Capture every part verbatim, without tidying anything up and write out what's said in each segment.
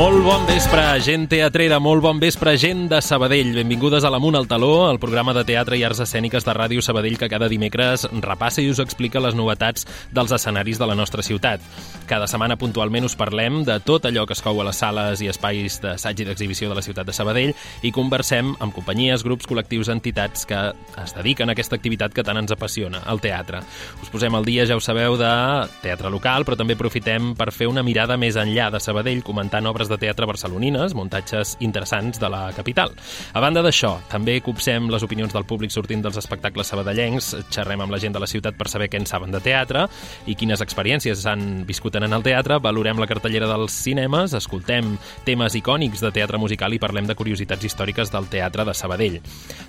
Molt bon vespre, gent teatrera, molt bon vespre, gent de Sabadell. Benvingudes a l'Amunt al Taló, el programa de teatre i arts escèniques de Ràdio Sabadell que cada dimecres repassa i us explica les novetats dels escenaris de la nostra ciutat. Cada setmana puntualment us parlem de tot allò que es cou a les sales i espais d'assaig i d'exhibició de la ciutat de Sabadell i conversem amb companyies, grups, col·lectius, entitats que es dediquen a aquesta activitat que tant ens apassiona, el teatre. Us posem al dia, ja ho sabeu, de teatre local, però també aprofitem per fer una mirada més enllà de Sabadell, comentant obres de teatre barcelonines, muntatges interessants de la capital. A banda d'això, també copsem les opinions del públic sortint dels espectacles sabadellencs, xerrem amb la gent de la ciutat per saber què en saben de teatre i quines experiències han viscut en el teatre, valorem la cartellera dels cinemes, escoltem temes icònics de teatre musical i parlem de curiositats històriques del teatre de Sabadell.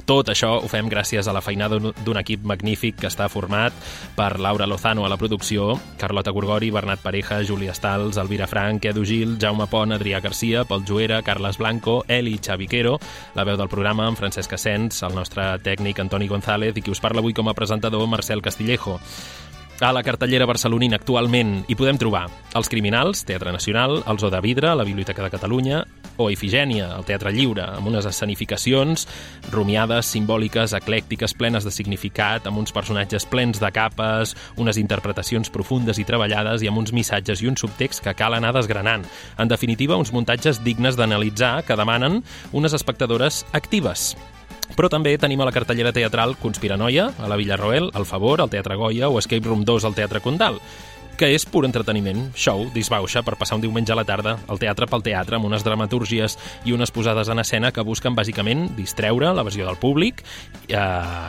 Tot això ho fem gràcies a la feinada d'un equip magnífic que està format per Laura Lozano a la producció, Carlota Gorgori, Bernat Pareja, Júlia Stals, Elvira Frank, Edu Gil, Jaume Pont, Adrià Garcia, Pol Juera, Carles Blanco, Eli Xaviquero, la veu del programa amb Francesc Asens, el nostre tècnic Antoni González i qui us parla avui com a presentador Marcel Castillejo. A la cartellera barcelonina actualment hi podem trobar Els Criminals, Teatre Nacional, Els O de Vidre, la Biblioteca de Catalunya, o Ifigènia, el Teatre Lliure, amb unes escenificacions rumiades, simbòliques, eclèctiques, plenes de significat, amb uns personatges plens de capes, unes interpretacions profundes i treballades i amb uns missatges i un subtext que cal anar desgranant. En definitiva, uns muntatges dignes d'analitzar que demanen unes espectadores actives. Però també tenim a la cartellera teatral Conspiranoia, a la Villarroel, El Favor, al Teatre Goya o Escape Room dos al Teatre Condal, que és pur entreteniment, show, disbauxa per passar un diumenge a la tarda al teatre pel teatre amb unes dramatúrgies i unes posades en escena que busquen bàsicament distreure l'evasió del públic, eh,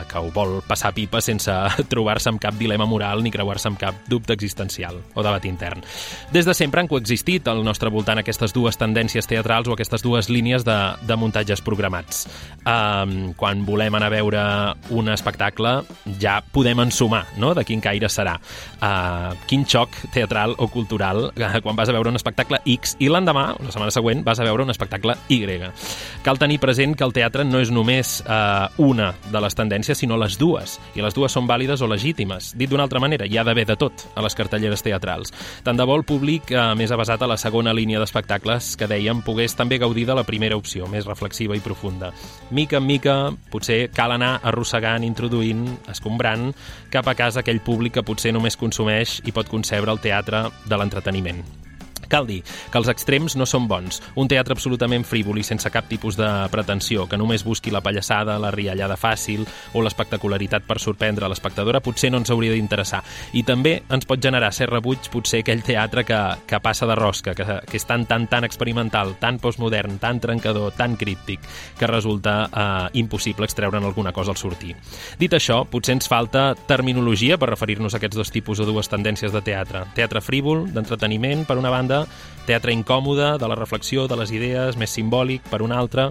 que ho vol passar pipa sense trobar-se amb cap dilema moral ni creuar-se amb cap dubte existencial o debat intern. Des de sempre han coexistit al nostre voltant aquestes dues tendències teatrals o aquestes dues línies de, de muntatges programats. Eh, quan volem anar a veure un espectacle ja podem ensumar, no?, de quin caire serà. Eh, quin xoc teatral o cultural quan vas a veure un espectacle X i l'endemà, la setmana següent, vas a veure un espectacle Y. Cal tenir present que el teatre no és només eh, una de les tendències, sinó les dues, i les dues són vàlides o legítimes. Dit d'una altra manera, hi ha d'haver de tot a les cartelleres teatrals. Tant de bo el públic eh, més avasat a la segona línia d'espectacles que dèiem pogués també gaudir de la primera opció, més reflexiva i profunda. Mica en mica, potser cal anar arrossegant, introduint, escombrant cap a casa aquell públic que potser només consumeix i pot concebre el teatre de l'entreteniment. Cal dir que els extrems no són bons. Un teatre absolutament frívol i sense cap tipus de pretensió, que només busqui la pallassada, la riallada fàcil o l'espectacularitat per sorprendre l'espectadora, potser no ens hauria d'interessar. I també ens pot generar cert rebuig potser aquell teatre que, que passa de rosca, que, que és tan, tan, tan experimental, tan postmodern, tan trencador, tan críptic, que resulta eh, impossible extreure'n alguna cosa al sortir. Dit això, potser ens falta terminologia per referir-nos a aquests dos tipus o dues tendències de teatre. Teatre frívol, d'entreteniment, per una banda, teatre incòmode, de la reflexió, de les idees, més simbòlic, per una altra.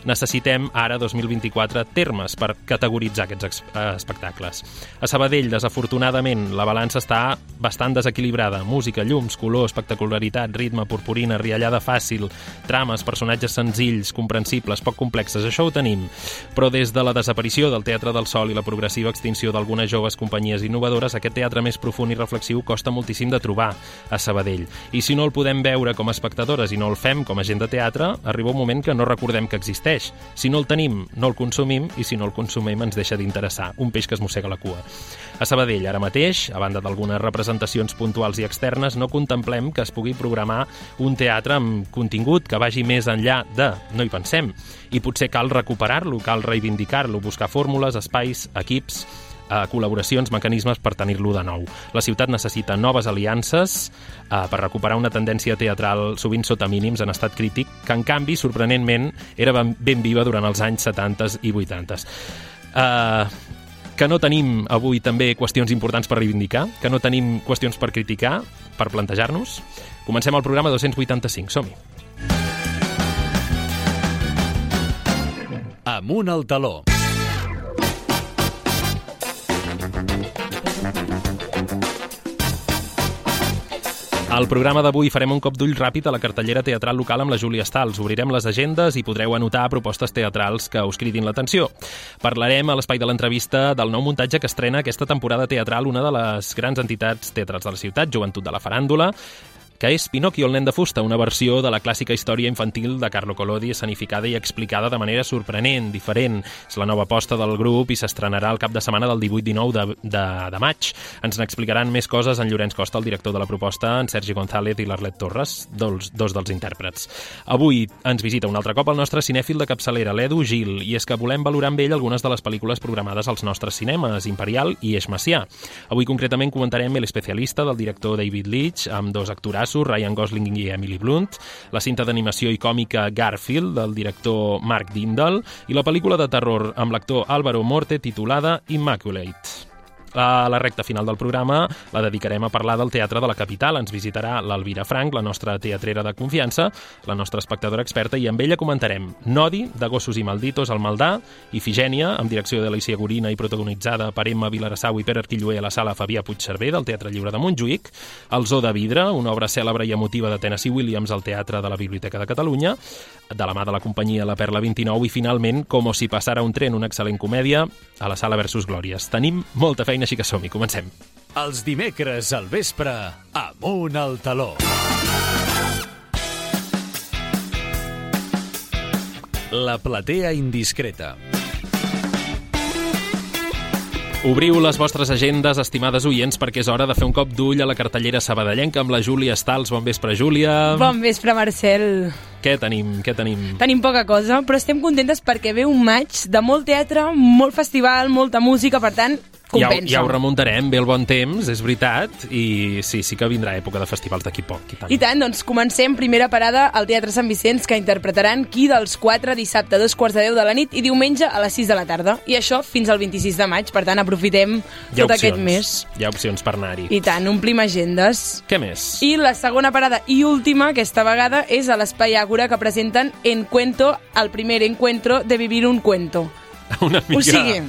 Necessitem ara, dos mil vint-i-quatre, termes per categoritzar aquests espectacles. A Sabadell, desafortunadament, la balança està bastant desequilibrada. Música, llums, color, espectacularitat, ritme, purpurina, riallada fàcil, trames, personatges senzills, comprensibles, poc complexes, això ho tenim. Però des de la desaparició del Teatre del Sol i la progressiva extinció d'algunes joves companyies innovadores, aquest teatre més profund i reflexiu costa moltíssim de trobar a Sabadell. I si no el podem veure com a espectadores i no el fem com a gent de teatre, arriba un moment que no recordem que existeix. Si no el tenim, no el consumim, i si no el consumim ens deixa d'interessar. Un peix que es mossega la cua. A Sabadell, ara mateix, a banda d'algunes representacions puntuals i externes, no contemplem que es pugui programar un teatre amb contingut que vagi més enllà de no hi pensem. I potser cal recuperar-lo, cal reivindicar-lo, buscar fórmules, espais, equips, eh, col·laboracions, mecanismes per tenir-lo de nou. La ciutat necessita noves aliances eh, per recuperar una tendència teatral sovint sota mínims en estat crític, que en canvi, sorprenentment, era ben, ben viva durant els anys setanta i vuitanta. Eh, que no tenim avui també qüestions importants per reivindicar, que no tenim qüestions per criticar, per plantejar-nos. Comencem el programa dos-cents vuitanta-cinc, som-hi. Amunt al taló. Al programa d'avui farem un cop d'ull ràpid a la cartellera teatral local amb la Júlia Stals. Obrirem les agendes i podreu anotar propostes teatrals que us cridin l'atenció. Parlarem a l'espai de l'entrevista del nou muntatge que estrena aquesta temporada teatral una de les grans entitats teatrals de la ciutat, Joventut de la Faràndula, que és Pinocchio, el nen de fusta, una versió de la clàssica història infantil de Carlo Collodi escenificada i explicada de manera sorprenent, diferent. És la nova aposta del grup i s'estrenarà el cap de setmana del divuit dinou de, de, de maig. Ens n'explicaran més coses en Llorenç Costa, el director de la proposta, en Sergi González i l'Arlet Torres, dos, dos dels intèrprets. Avui ens visita un altre cop el nostre cinèfil de capçalera, l'Edu Gil, i és que volem valorar amb ell algunes de les pel·lícules programades als nostres cinemes, Imperial i Eix Macià. Avui concretament comentarem El especialista del director David Leitch, amb dos actorats, Ryan Gosling i Emily Blunt, la cinta d'animació i còmica Garfield, del director Mark Dindal, i la pel·lícula de terror amb l'actor Álvaro Morte titulada Immaculate. A la recta final del programa la dedicarem a parlar del teatre de la capital. Ens visitarà l'Elvira Frank, la nostra teatrera de confiança, la nostra espectadora experta, i amb ella comentarem Nodi, de Gossos i Malditos, al Maldà, Ifigènia, amb direcció de Alicia Gorina i protagonitzada per Emma Vilarassau i Pere Arquillué a la sala Fabià Puigcerver del Teatre Lliure de Montjuïc, El Zoo de Vidre, una obra cèlebre i emotiva de Tennessee Williams al Teatre de la Biblioteca de Catalunya, de la mà de la companyia La Perla vint-i-nou, i finalment Como si passara un tren, una excel·lent comèdia a la sala Versus Glòries. Tenim molta feina, així que som-hi, comencem. Els dimecres al vespre, Amunt al Taló. La platea indiscreta. Obriu les vostres agendes, estimades oients, perquè és hora de fer un cop d'ull a la cartellera sabadellenca amb la Júlia Stals. Bon vespre, Júlia. Bon vespre, Marcel. Què tenim? Què tenim? Tenim poca cosa, però estem contentes perquè ve un maig de molt teatre, molt festival, molta música, per tant, compensa. Ja, ja ho remuntarem, ve el bon temps, és veritat, i sí, sí que vindrà època de festivals d'aquí poc. I tant. I tant, doncs comencem primera parada al Teatre Sant Vicenç, que interpretaran Qui dels quatre, dissabte a dos quarts de deu de la nit i diumenge a les sis de la tarda. I això fins al vint-i-sis de maig, per tant aprofitem tot opcions, aquest mes. Hi ha opcions per anar-hi. I tant, omplim agendes. Què més? I la segona parada i última, aquesta vegada, és a l'Espai Àgora, que presenten Encuentro, el primer encuentro de vivir un cuento. Una mica... O sigui,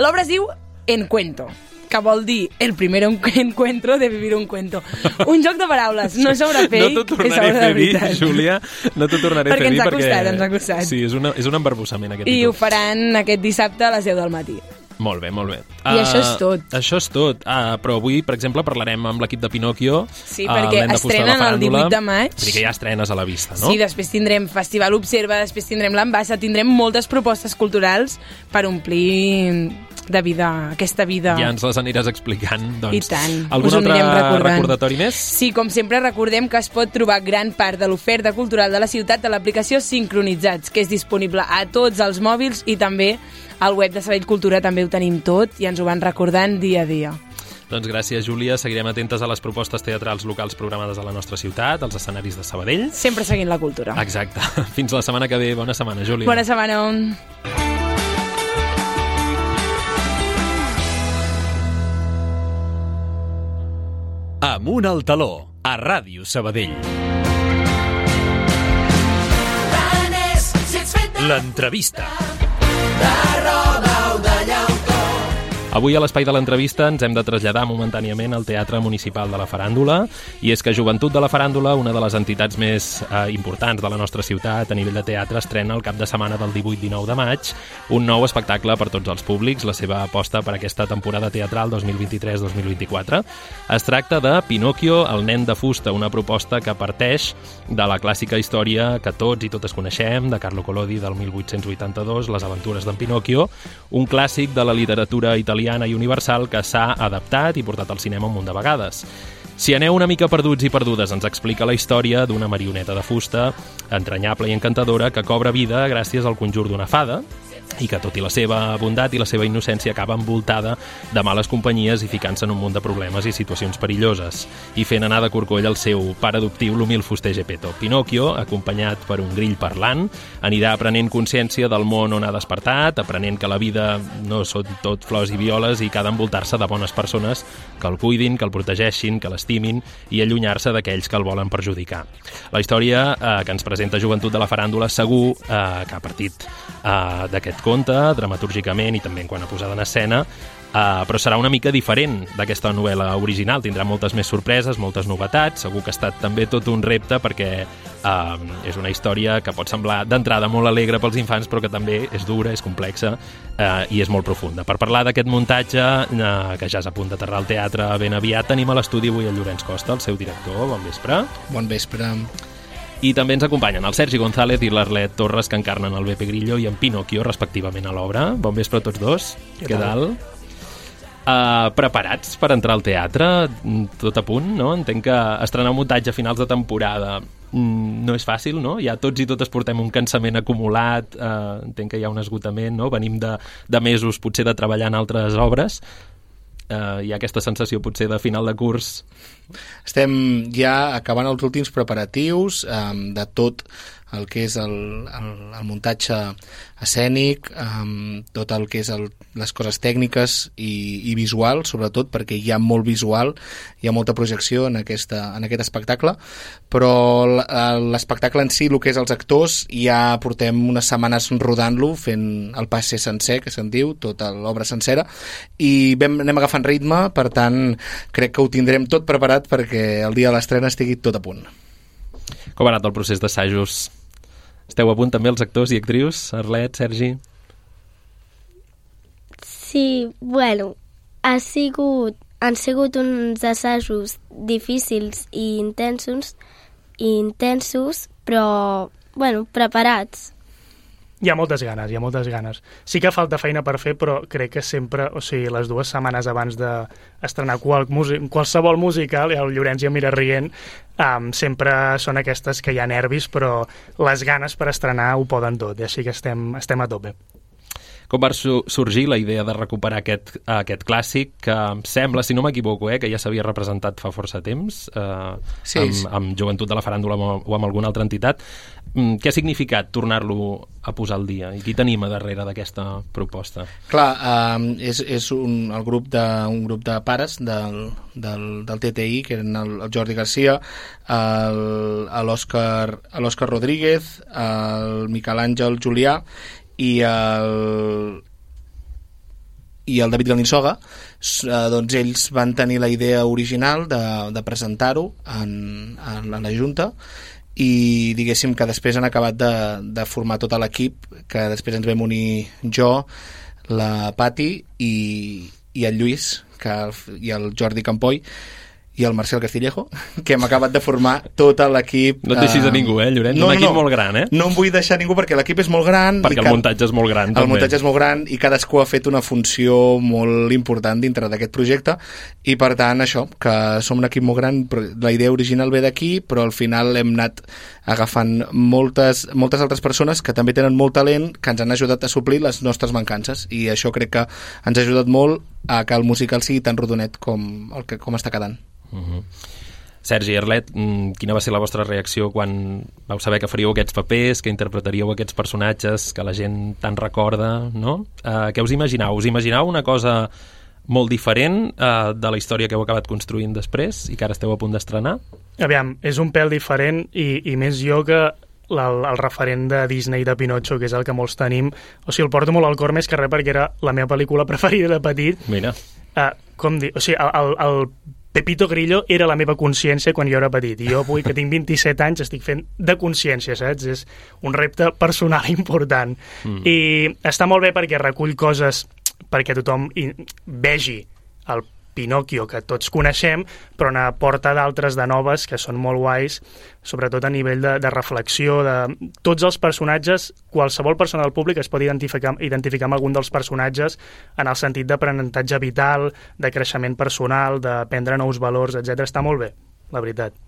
l'obra es diu Encuentro, que vol dir el primer encuentro de vivir un cuento. Un joc de paraules, no sobre fake, no t'ho tornaré a fer dir, Júlia, no t'ho tornaré a fer dir perquè... Perquè ens ha costat, ens ha costat. Sí, és, una, és un embarbussament aquest I títol. ho faran aquest dissabte a les deu del matí. Molt bé, molt bé. I uh, això és tot. Això és tot. Uh, però avui, per exemple, parlarem amb l'equip de Pinocchio. Sí, perquè uh, estrenen el divuit de maig. Vull dir que ja estrenes a la vista, no? Sí, després tindrem Festival Observa, després tindrem l'Ambassa, tindrem moltes propostes culturals per omplir de vida, aquesta vida. Ja ens les aniràs explicant, doncs. I tant. Algun altre recordatori més? Sí, com sempre recordem que es pot trobar gran part de l'oferta cultural de la ciutat a l'aplicació Sincronitzats, que és disponible a tots els mòbils, i també al web de Sabadell Cultura també ho tenim tot i ens ho van recordant dia a dia. Doncs gràcies, Júlia. Seguirem atentes a les propostes teatrals locals programades a la nostra ciutat, als escenaris de Sabadell. Sempre seguint la cultura. Exacte. Fins la setmana que ve. Bona setmana, Júlia. Bona setmana. Amunt al Taló, a Ràdio Sabadell. L'entrevista. Avui a l'espai de l'entrevista ens hem de traslladar momentàniament al Teatre Municipal de la Faràndula, i és que Joventut de la Faràndula, una de les entitats més eh, importants de la nostra ciutat a nivell de teatre, estrena el cap de setmana del divuit dinou de maig un nou espectacle per tots els públics, la seva aposta per aquesta temporada teatral dos mil vint-i-tres dos mil vint-i-quatre. Es tracta de Pinocchio, el nen de fusta, una proposta que parteix de la clàssica història que tots i totes coneixem, de Carlo Collodi del mil vuit-cents vuitanta-dos, Les aventures d'en Pinocchio, un clàssic de la literatura italiana i universal que s'ha adaptat i portat al cinema un munt de vegades. Si aneu una mica perduts i perdudes, ens explica la història d'una marioneta de fusta entranyable i encantadora que cobra vida gràcies al conjur d'una fada, i que tot i la seva bondat i la seva innocència acaba envoltada de males companyies i ficant-se en un munt de problemes i situacions perilloses, i fent anar de corcoll el seu pare adoptiu, l'humil fuster Geppetto. Pinocchio, acompanyat per un grill parlant, anirà aprenent consciència del món on ha despertat, aprenent que la vida no són tot flors i violes i que ha d'envoltar-se de bones persones que el cuidin, que el protegeixin, que l'estimin i allunyar-se d'aquells que el volen perjudicar. La història eh, que ens presenta Joventut de la Faràndula segur eh, que ha partit eh, d'aquest aquest conte, dramatúrgicament i també en quant a posada en escena, Uh, però serà una mica diferent d'aquesta novel·la original. Tindrà moltes més sorpreses, moltes novetats. Segur que ha estat també tot un repte perquè uh, és una història que pot semblar d'entrada molt alegre pels infants, però que també és dura, és complexa uh, i és molt profunda. Per parlar d'aquest muntatge, uh, que ja és a punt d'aterrar al teatre ben aviat, tenim a l'estudi avui el Llorenç Costa, el seu director. Bon vespre. Bon vespre. I també ens acompanyen el Sergi González i l'Arlet Torres, que encarnen el Beppe Grillo i en Pinocchio, respectivament, a l'obra. Bon vespre a tots dos. Què tal? Uh, preparats per entrar al teatre, tot a punt, no? Entenc que estrenar un muntatge a finals de temporada mm, no és fàcil, no? Ja tots i totes portem un cansament acumulat, uh, entenc que hi ha un esgotament, no? Venim de, de mesos potser de treballar en altres obres, uh, hi ha aquesta sensació potser de final de curs. Estem ja acabant els últims preparatius um, de tot el que és el, el, el muntatge escènic, um, tot el que és el, les coses tècniques i, i visual, sobretot perquè hi ha molt visual, hi ha molta projecció en, aquesta, en aquest espectacle, però l'espectacle en si, el que és els actors, ja portem unes setmanes rodant-lo, fent el passe sencer, que se'n diu, tota l'obra sencera, i vam, anem agafant ritme, per tant, crec que ho tindrem tot preparat perquè el dia de l'estrena estigui tot a punt. Com ha anat el procés d'assajos? Esteu a punt també els actors i actrius? Arlet, Sergi? Sí, bueno, ha sigut, han sigut uns assajos difícils i intensos, i intensos, però, bueno, preparats. Hi ha moltes ganes, hi ha moltes ganes. Sí que falta feina per fer, però crec que sempre, o sigui, les dues setmanes abans d'estrenar qual, qualsevol musical, i el Llorenç ja mira rient, um, sempre són aquestes que hi ha nervis, però les ganes per estrenar ho poden tot, i així que estem, estem a tope. Com va sorgir la idea de recuperar aquest, aquest clàssic que em sembla, si no m'equivoco, eh, que ja s'havia representat fa força temps, eh, sí, amb, sí. amb Joventut de la Faràndula o amb alguna altra entitat. Mm, què ha significat tornar-lo a posar al dia? I qui tenim a darrere d'aquesta proposta? Clar, eh, és, és un, el grup de, un grup de pares del, del, del T T I, que eren el, el Jordi Garcia, l'Òscar Rodríguez, el Miquel Àngel Julià, i el, i el David Galinsoga, eh, doncs ells van tenir la idea original de, de presentar-ho en, en, en la Junta, i diguéssim que després han acabat de, de formar tot l'equip, que després ens vam unir jo, la Pati i, i el Lluís que, i el Jordi Campoy i el Marcel Castillejo, que hem acabat de formar tot l'equip. No et deixis a ningú, eh, Llorenç? No, un equip no, molt gran, eh? No em vull deixar ningú perquè l'equip és molt gran. Perquè el ca... muntatge és molt gran, el també. El muntatge és molt gran i cadascú ha fet una funció molt important dintre d'aquest projecte, i per tant això, que som un equip molt gran, la idea original ve d'aquí, però al final hem anat agafant moltes, moltes altres persones que també tenen molt talent, que ens han ajudat a suplir les nostres mancances, i això crec que ens ha ajudat molt a que el musical sigui tan rodonet com, el que, com està quedant. Uh-huh. Sergi, Arlet, quina va ser la vostra reacció quan vau saber que faríeu aquests papers, que interpretaríeu aquests personatges que la gent tant recorda, no? Uh, què us imaginau? Us imaginau una cosa molt diferent uh, de la història que heu acabat construint després i que ara esteu a punt d'estrenar? Aviam, és un pèl diferent i, i més jo que la, el referent de Disney de Pinocho, que és el que molts tenim. O sigui, el porto molt al cor més que res perquè era la meva pel·lícula preferida de petit. Mira. Uh, com dir, o sigui, el, el, el Pepito Grillo era la meva consciència quan jo era petit, i jo avui que tinc vint-i-set anys estic fent de consciència, saps? És un repte personal important. Mm. I està molt bé perquè recull coses perquè tothom vegi el Pinocchio que tots coneixem, però n'aporta d'altres de noves que són molt guais, sobretot a nivell de, de reflexió de tots els personatges. Qualsevol persona del públic es pot identificar, identificar amb algun dels personatges en el sentit d'aprenentatge vital, de creixement personal, d'aprendre nous valors, etcètera. Està molt bé, la veritat.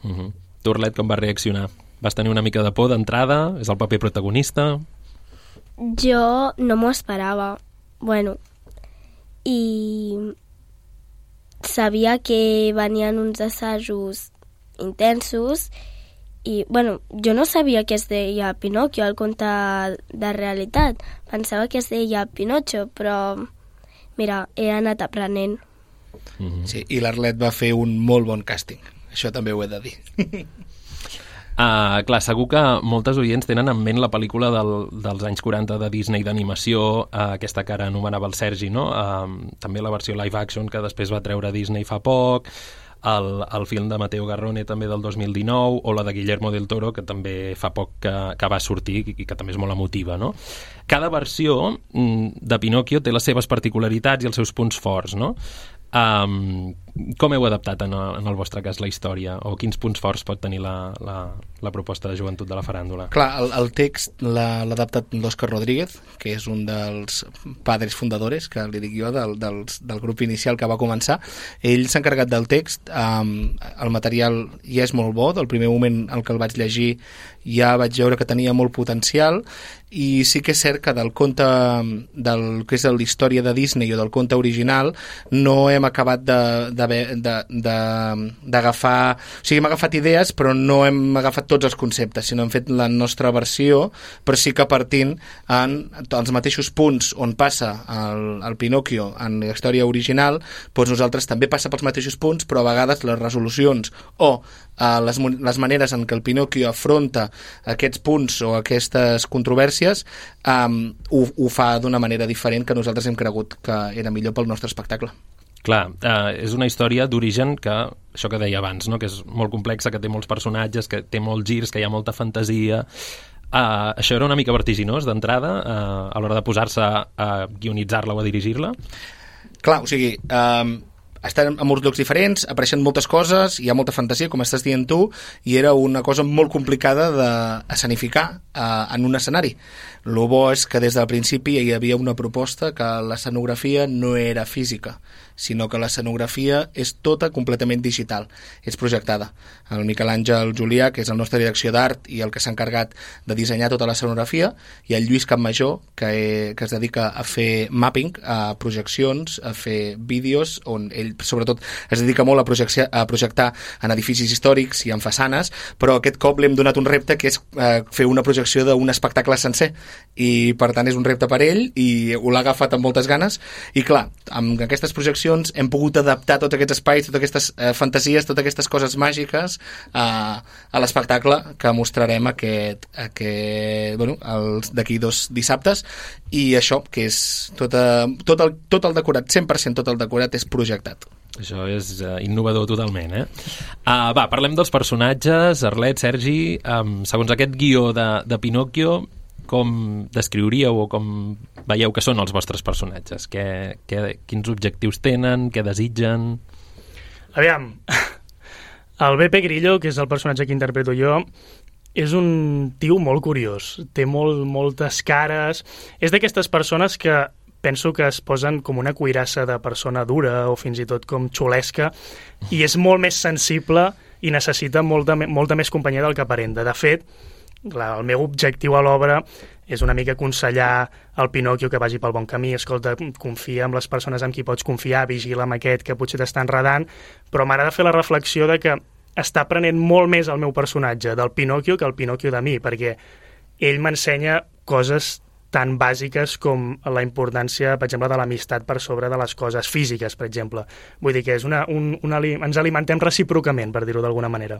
Uh-huh. Tu, Arlet, com vas reaccionar? Vas tenir una mica de por d'entrada? És el paper protagonista? Jo no m'ho esperava. Bueno, i sabia que venien uns assajos intensos i, bueno, jo no sabia que es deia Pinocchio, el conte de realitat. Pensava que es deia Pinocho, però, mira, he anat aprenent. Mm-hmm. Sí, i l'Arlet va fer un molt bon càsting. Això també ho he de dir. Uh, clar, segur que moltes oients tenen en ment la pel·lícula del, dels anys quaranta de Disney d'animació, uh, aquesta que ara anomenava el Sergi, no? Uh, també la versió live action que després va treure Disney fa poc, el, el film de Matteo Garrone també del dos mil dinou, o la de Guillermo del Toro, que també fa poc que, que va sortir i que també és molt emotiva, no? Cada versió de Pinocchio té les seves particularitats i els seus punts forts, no? Um, com heu adaptat en el, en el vostre cas la història, o quins punts forts pot tenir la, la, la proposta de joventut de la faràndula? Clar, el, el text l'ha adaptat l'Òscar Rodríguez, que és un dels padres fundadors, que li dic jo, del, dels, del grup inicial que va començar. Ell s'ha encarregat del text, um, el material ja és molt bo, del primer moment en què el vaig llegir ja vaig veure que tenia molt potencial, i sí que és cert que del conte, del que és la història de Disney o del conte original, no hem acabat d'agafar... O sigui, hem agafat idees, però no hem agafat tots els conceptes, sinó hem fet la nostra versió, però sí que partint en els mateixos punts on passa el, el Pinocchio en la història original, doncs nosaltres també passa pels mateixos punts, però a vegades les resolucions o eh, les, les maneres en què el Pinocchio afronta aquests punts o aquestes controvèrsies um, ho, ho fa d'una manera diferent que nosaltres hem cregut que era millor pel nostre espectacle. Clar, eh, és una història d'origen que, això que deia abans, no? Que és molt complexa, que té molts personatges, que té molts girs, que hi ha molta fantasia. Uh, això era una mica vertiginós d'entrada uh, a l'hora de posar-se a guionitzar-la o a dirigir-la? Clar, o sigui... Um... estan en molts llocs diferents, apareixen moltes coses, hi ha molta fantasia, com estàs dient tu, i era una cosa molt complicada d'escenificar eh, en un escenari. El bo és que des del principi hi havia una proposta que l'escenografia no era física, sinó que l'escenografia és tota completament digital, és projectada. El Miquel Àngel Julià, que és el nostre direcció d'art i el que s'ha encarregat de dissenyar tota l'escenografia, i el Lluís Campmajor, que, que es dedica a fer mapping, a projeccions, a fer vídeos, on ell sobretot es dedica molt a, projectar, a projectar en edificis històrics i en façanes, però aquest cop li hem donat un repte que és eh, fer una projecció d'un espectacle sencer, i per tant és un repte per ell i ho l'ha agafat amb moltes ganes, i clar, amb aquestes projeccions hem pogut adaptar tots aquests espais, totes aquestes eh, fantasies, totes aquestes coses màgiques eh, a l'espectacle que mostrarem aquest, aquest bueno, d'aquí dos dissabtes, i això que és tot, a, tot, el, tot el decorat, cent per cent tot el decorat és projectat. Això és uh, innovador totalment, eh? Uh, va, parlem dels personatges. Arlet, Sergi, um, segons aquest guió de, de Pinocchio, com descriuríeu o com veieu que són els vostres personatges? Que, que, quins objectius tenen? Què desitgen? Aviam, el B P Grillo, que és el personatge que interpreto jo, és un tio molt curiós. Té molt, moltes cares. És d'aquestes persones que penso que es posen com una cuirassa de persona dura o fins i tot com xulesca, i és molt més sensible i necessita molta, molta més companyia del que aparenta. De fet, clar, el meu objectiu a l'obra és una mica aconsellar al Pinocchio que vagi pel bon camí. Escolta, confia en les persones amb qui pots confiar, vigila amb aquest que potser t'està enredant, però m'agrada fer la reflexió de que està aprenent molt més el meu personatge del Pinocchio que el Pinocchio de mi, perquè ell m'ensenya coses tan bàsiques com la importància, per exemple, de l'amistat per sobre de les coses físiques, per exemple. Vull dir que és una, un, una, ens alimentem recíprocament, per dir-ho d'alguna manera.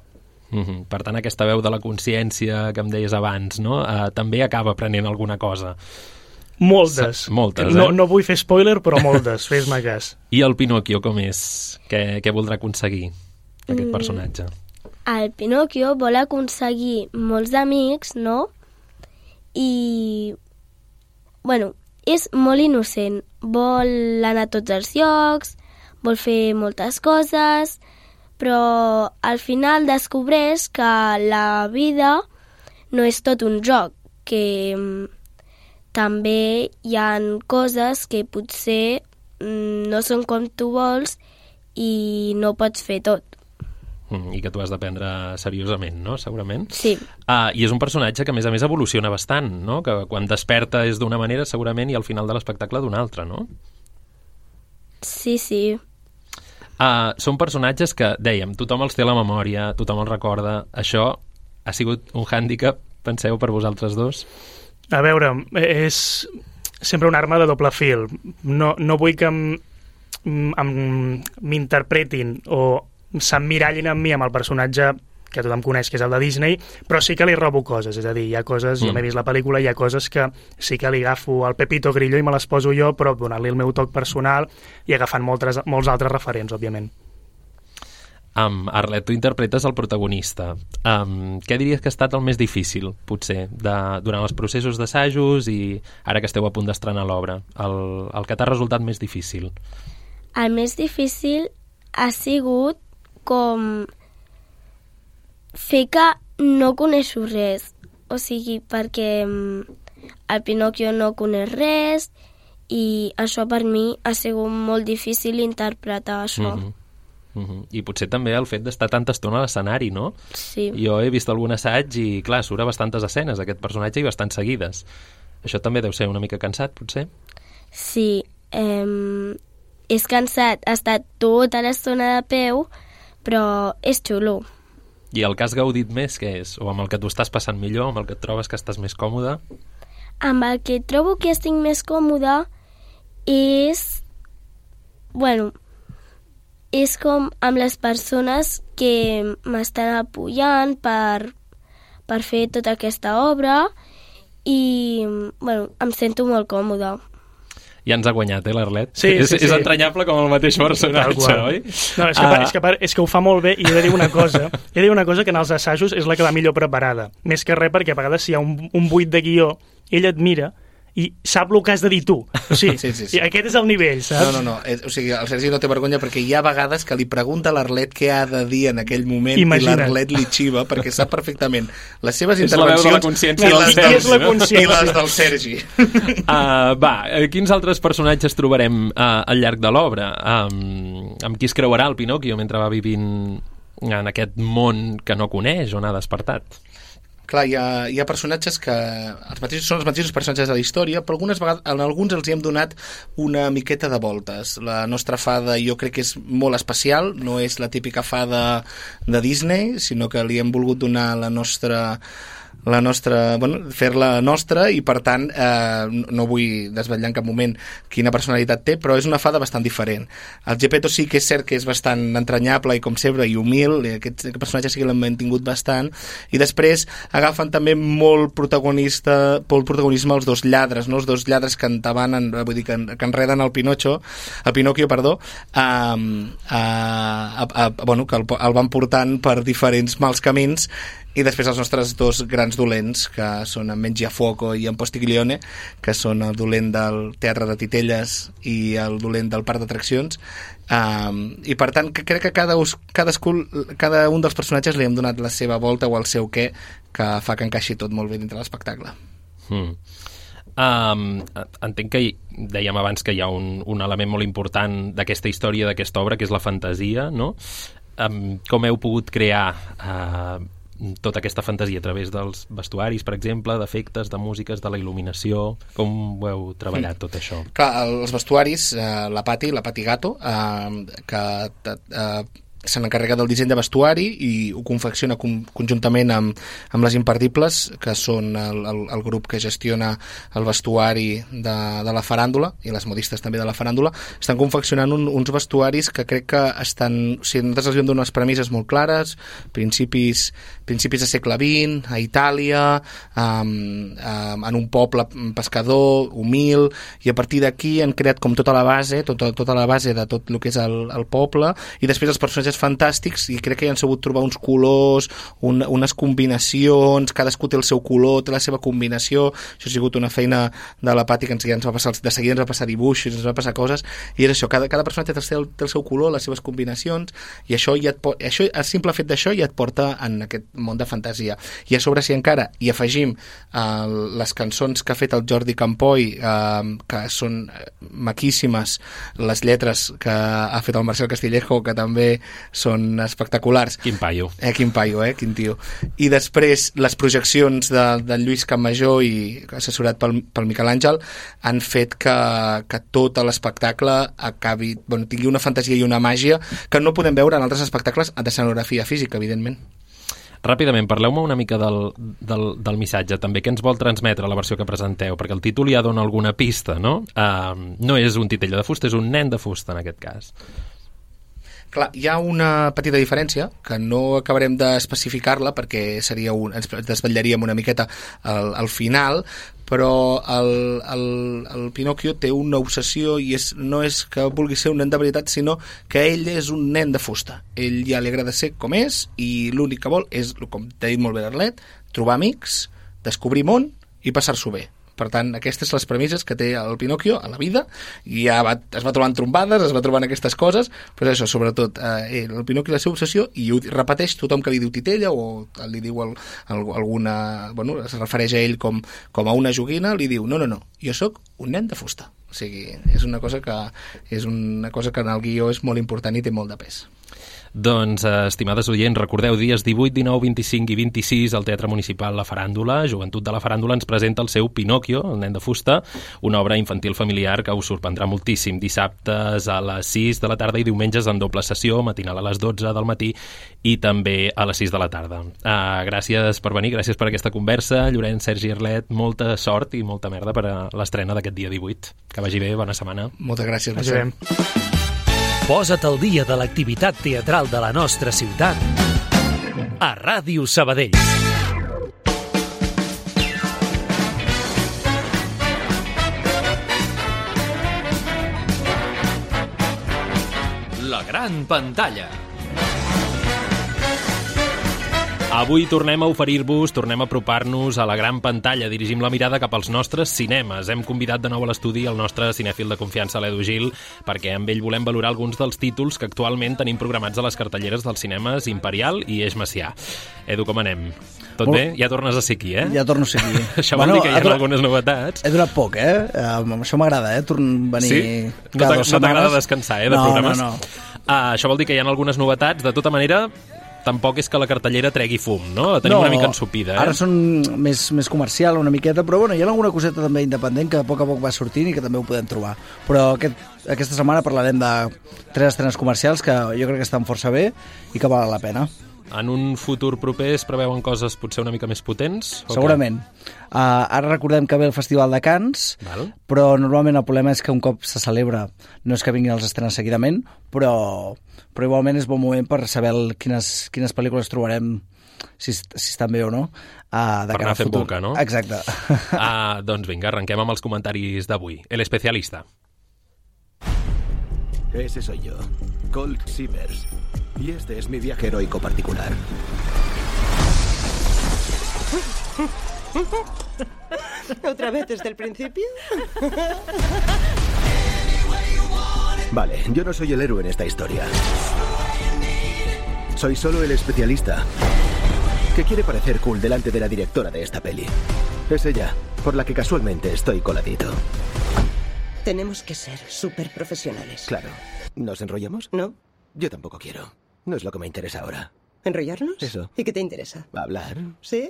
Mm-hmm. Per tant, aquesta veu de la consciència que em deies abans, no? Uh, també acaba aprenent alguna cosa. Moltes. Sa moltes, eh? No, no vull fer spoiler, però moltes, fes-me cas. I el Pinocchio com és? Què, què voldrà aconseguir aquest mm. personatge? El Pinocchio vol aconseguir molts amics, no? I... bueno, és molt innocent, vol anar a tots els llocs, vol fer moltes coses, però al final descobreix que la vida no és tot un joc, que també hi ha coses que potser no són com tu vols i no pots fer tot. I que tu has de prendre seriosament, no? Segurament. Sí. Ah, I és un personatge que, a més a més, evoluciona bastant, no? Que quan desperta és d'una manera, segurament, i al final de l'espectacle d'una altra, no? Sí, sí. Ah, són personatges que, dèiem, tothom els té a la memòria, tothom els recorda. Això ha sigut un hàndicap, penseu, per vosaltres dos? A veure, és sempre una arma de doble fil. No, no vull que m'interpretin o s'emmirallin amb mi, amb el personatge que tothom coneix, que és el de Disney, però sí que li robo coses, és a dir, hi ha coses, mm. jo m'he vist la pel·lícula, hi ha coses que sí que li agafo al Pepito Grillo i me les poso jo, però donant-li el meu toc personal i agafant moltes, molts altres referents, òbviament. Um, Arlet, tu interpretes el protagonista. Um, què diries que ha estat el més difícil, potser, de, durant els processos d'assajos i ara que esteu a punt d'estrenar l'obra? El, el que t'ha resultat més difícil? El més difícil ha sigut com fer que no coneixo res. O sigui, perquè el Pinocchio no coneix res i això per mi ha sigut molt difícil interpretar això. Mm-hmm. Uh-huh. I potser també el fet d'estar tanta estona a l'escenari, no? Sí. Jo he vist algun assaig i, clar, surt a bastantes escenes aquest personatge i bastant seguides. Això també deu ser una mica cansat, potser? Sí, eh, és cansat estar tota l'estona de peu, però és xulo. I el que has gaudit més, què és? O amb el que t'ho estàs passant millor, amb el que et trobes que estàs més còmode? Amb el que trobo que estic més còmode és... Bueno... és com amb les persones que m'estan apoyant per, per fer tota aquesta obra i, bueno, em sento molt còmoda. Ja ens ha guanyat, eh, l'Arlet? Sí, és, sí, sí. És entranyable com el mateix personatge, oi? No, és que, uh... és, que, és que ho fa molt bé i he de dir una cosa. He de dir una cosa que en els assajos és la que va millor preparada. Més que res perquè a vegades si hi ha un, un buit de guió, ell et mira i sap el que has de dir tu. O sigui, sí, sí, sí. Aquest és el nivell, saps? No, no, no. O sigui, el Sergi no té vergonya perquè hi ha vegades que li pregunta a l'Arlet què ha de dir en aquell moment. Imagina't. I l'Arlet li xiva perquè sap perfectament les seves és intervencions la consciència i, les del del, és la consciència. i les del Sergi. Uh, va, quins altres personatges trobarem uh, al llarg de l'obra? Um, amb qui es creuarà el Pinocchio mentre va vivint en aquest món que no coneix, on ha despertat? Clar, hi ha, hi ha personatges que els mateixos, són els mateixos personatges de la història, però algunes vegades, en alguns els hi hem donat una miqueta de voltes. La nostra fada jo crec que és molt especial, no és la típica fada de Disney, sinó que li hem volgut donar la nostra... la nostra, bueno, fer-la nostra i per tant eh, no vull desvetllar en cap moment quina personalitat té, però és una fada bastant diferent. El Geppetto sí que és cert que és bastant entranyable i com sempre i humil, i aquest, aquest personatge sí que l'hem mantingut bastant, i després agafen també molt protagonista molt protagonisme els dos lladres, no? Els dos lladres que entabanen, vull dir, que, que enreden el Pinocho, el Pinocchio, perdó, a, a, a, a, bueno, que el, el van portant per diferents mals camins. I després els nostres dos grans dolents, que són en Mengiafuoco i en Postiglione, que són el dolent del Teatre de Titelles i el dolent del Parc d'Atraccions. Um, I per tant, que crec que cada, cadascú, cada un dels personatges li hem donat la seva volta o el seu què, que fa que encaixi tot molt bé dintre l'espectacle. Hmm. Um, entenc que dèiem abans que hi ha un, un element molt important d'aquesta història, d'aquesta obra, que és la fantasia, no? Um, com heu pogut crear... Uh, tota aquesta fantasia a través dels vestuaris, per exemple, d'efectes, de músiques, de la il·luminació? Com ho heu treballat, tot això? Clar, els vestuaris, eh, la Pati, la Pati Gato, eh, que eh, se n'encarrega del disseny de vestuari i ho confecciona com, conjuntament amb, amb les Imperdibles, que són el, el, el grup que gestiona el vestuari de, de la faràndula i les modistes també de la faràndula. Estan confeccionant un, uns vestuaris que crec que estan... O sigui, nosaltres els hem donat unes premisses molt clares, principis, principis de segle vint, a Itàlia, um, um, en un poble pescador, humil, i a partir d'aquí han creat com tota la base, tota, tota la base de tot el que és el, el poble, i després els personatges fantàstics, i crec que hi han sabut trobar uns colors, un, unes combinacions, cadascú té el seu color, té la seva combinació. Això ha sigut una feina de la Pati que ens, ja ens va passar, de seguida ens va passar dibuixos, ens va passar coses, i és això, cada, cada personatge té el, seu, té el seu color, les seves combinacions, i això, ja et po- això el simple fet d'això ja et porta en aquest món de fantasia. I a sobre, si encara hi afegim eh, les cançons que ha fet el Jordi Campoy, eh, que són maquíssimes, les lletres que ha fet el Marcel Castillejo, que també són espectaculars. Quin paio. Eh, quin paio, eh? Quin tio. I després les projeccions de, de Lluís Campmajor i assessorat pel, pel Miquel Àngel han fet que, que tot l'espectacle acabi, bueno, tingui una fantasia i una màgia que no podem veure en altres espectacles de escenografia física, evidentment. Ràpidament, parleu-me una mica del, del, del missatge, també, què ens vol transmetre la versió que presenteu, perquè el títol ja dona alguna pista, no? Uh, no és un titella de fusta, és un nen de fusta, en aquest cas. Clar, hi ha una petita diferència que no acabarem d'especificar-la perquè seria un, ens desvetllaríem una miqueta al, al final, però el, el, el Pinocchio té una obsessió i és, no és que vulgui ser un nen de veritat, sinó que ell és un nen de fusta. Ell ja li agrada ser com és i l'únic que vol és, com t'ha dit molt bé l'Arlet, trobar amics, descobrir món i passar-s'ho bé. Per tant, aquestes són les premisses que té el Pinocchio a la vida, i ja va, es va trobant trombades, es va trobant aquestes coses, però això, sobretot, eh, el Pinocchio la seva obsessió, i ho repeteix tothom que li diu titella, o li diu el, el, alguna... Bueno, es refereix a ell com, com a una joguina, li diu, no, no, no, jo sóc un nen de fusta. O sigui, és una cosa que, és una cosa que en el guió és molt important i té molt de pes. Doncs, estimades oients, recordeu, dies divuit, dinou, vint-i-cinc i vint-i-sis al Teatre Municipal La Faràndula. Joventut de la Faràndula ens presenta el seu Pinocchio, el nen de fusta, una obra infantil familiar que us sorprendrà moltíssim. Dissabtes a les sis de la tarda i diumenges en doble sessió, matinal a les dotze del matí i també a les sis de la tarda. Uh, gràcies per venir, gràcies per aquesta conversa. Llorenç, Sergi, Arlet, molta sort i molta merda per a l'estrena d'aquest dia divuit. Que vagi bé, bona setmana. Moltes gràcies, Marcel. Posa't al dia de l'activitat teatral de la nostra ciutat a Ràdio Sabadell. La gran pantalla. Avui tornem a oferir-vos, tornem a apropar-nos a la gran pantalla. Dirigim la mirada cap als nostres cinemes. Hem convidat de nou a l'estudi el nostre cinèfil de confiança, l'Edu Gil, perquè amb ell volem valorar alguns dels títols que actualment tenim programats a les cartelleres dels cinemes Imperial i Eix Macià. Edu, com anem? Tot bé? Ja tornes a ser aquí, eh? Ja torno a ser aquí. Això vol bueno, dir que hi ha durat... algunes novetats. He durat poc, eh? Uh, això m'agrada, eh? Torn venir sí? cada no dues setmanes. No t'agrada descansar, eh, de no, programes? No, no, uh, Això vol dir que hi ha algunes novetats. De tota manera, tampoc és que la cartellera tregui fum, no? La tenim no, una mica ensupida, eh? Ara són més, més comercial, una miqueta, però bueno, hi ha alguna coseta també independent que a poc a poc va sortint i que també ho podem trobar. Però aquest, aquesta setmana parlarem de tres estrenes comercials que jo crec que estan força bé i que valen la pena. En un futur proper es preveuen coses potser una mica més potents? Segurament. Uh, ara recordem que ve el Festival de Cannes, Val. Però normalment el problema és que un cop se celebra no és que vinguin els estrenes seguidament, però, però igualment és bon moment per saber el, quines, quines pel·lícules trobarem, si, si estan bé o no. Uh, de per anar fent boca, no? Exacte. Ah, doncs vinga, arrenquem amb els comentaris d'avui. El especialista. Ese soy yo, Colt Sievers. Y este es mi viaje heroico particular. ¿Otra vez desde el principio? Vale, yo no soy el héroe en esta historia. Soy solo el especialista que quiere parecer cool delante de la directora de esta peli. Es ella, por la que casualmente estoy coladito. Tenemos que ser súper profesionales. Claro. ¿Nos enrollamos? No. Yo tampoco quiero. No es lo que me interesa ahora. ¿Enrollarnos? Eso. ¿Y qué te interesa? Hablar. ¿Sí?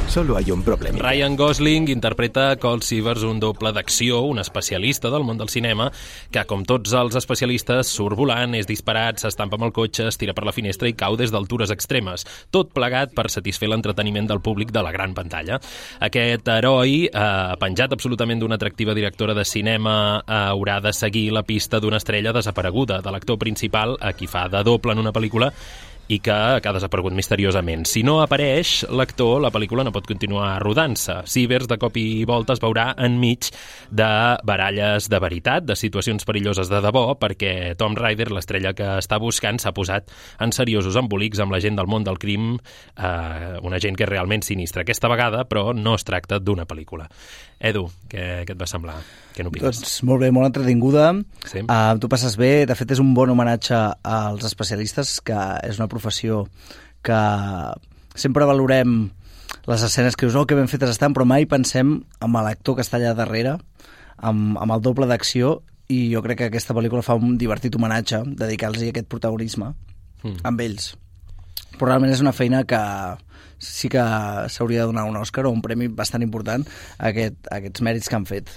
Solo hay un problema. Ryan Gosling interpreta Colt Sievers, un doble d'acció, un especialista del món del cinema, que, com tots els especialistes, surt volant, és disparat, s'estampa amb el cotxe, es tira per la finestra i cau des d'altures extremes. Tot plegat per satisfer l'entreteniment del públic de la gran pantalla. Aquest heroi, eh, penjat absolutament d'una atractiva directora de cinema, eh, haurà de seguir la pista d'una estrella desapareguda, de l'actor principal, a qui fa de doble en una pel·lícula i que, que ha desaparegut misteriosament. Si no apareix l'actor, la pel·lícula no pot continuar rodant-se. Sievers, de cop i volta, es veurà enmig de baralles de veritat, de situacions perilloses de debò, perquè Tom Ryder, l'estrella que està buscant, s'ha posat en seriosos embolics amb la gent del món del crim, eh, una gent que és realment sinistra. Aquesta vegada, però, no es tracta d'una pel·lícula. Edu, què, què et va semblar? Què n'opines? Doncs molt bé, molt entretinguda. Sí. Uh, tu passes bé. De fet, és un bon homenatge als especialistes, que és una professió que sempre valorem les escenes que us oh, que ben fetes estan, però mai pensem en l'actor que està allà darrere, amb, amb el doble d'acció, i jo crec que aquesta pel·lícula fa un divertit homenatge, dedicar-los aquest protagonisme mm. amb ells. Però realment és una feina que sí que s'hauria de donar un Òscar o un premi bastant important a, aquest, a aquests mèrits que han fet.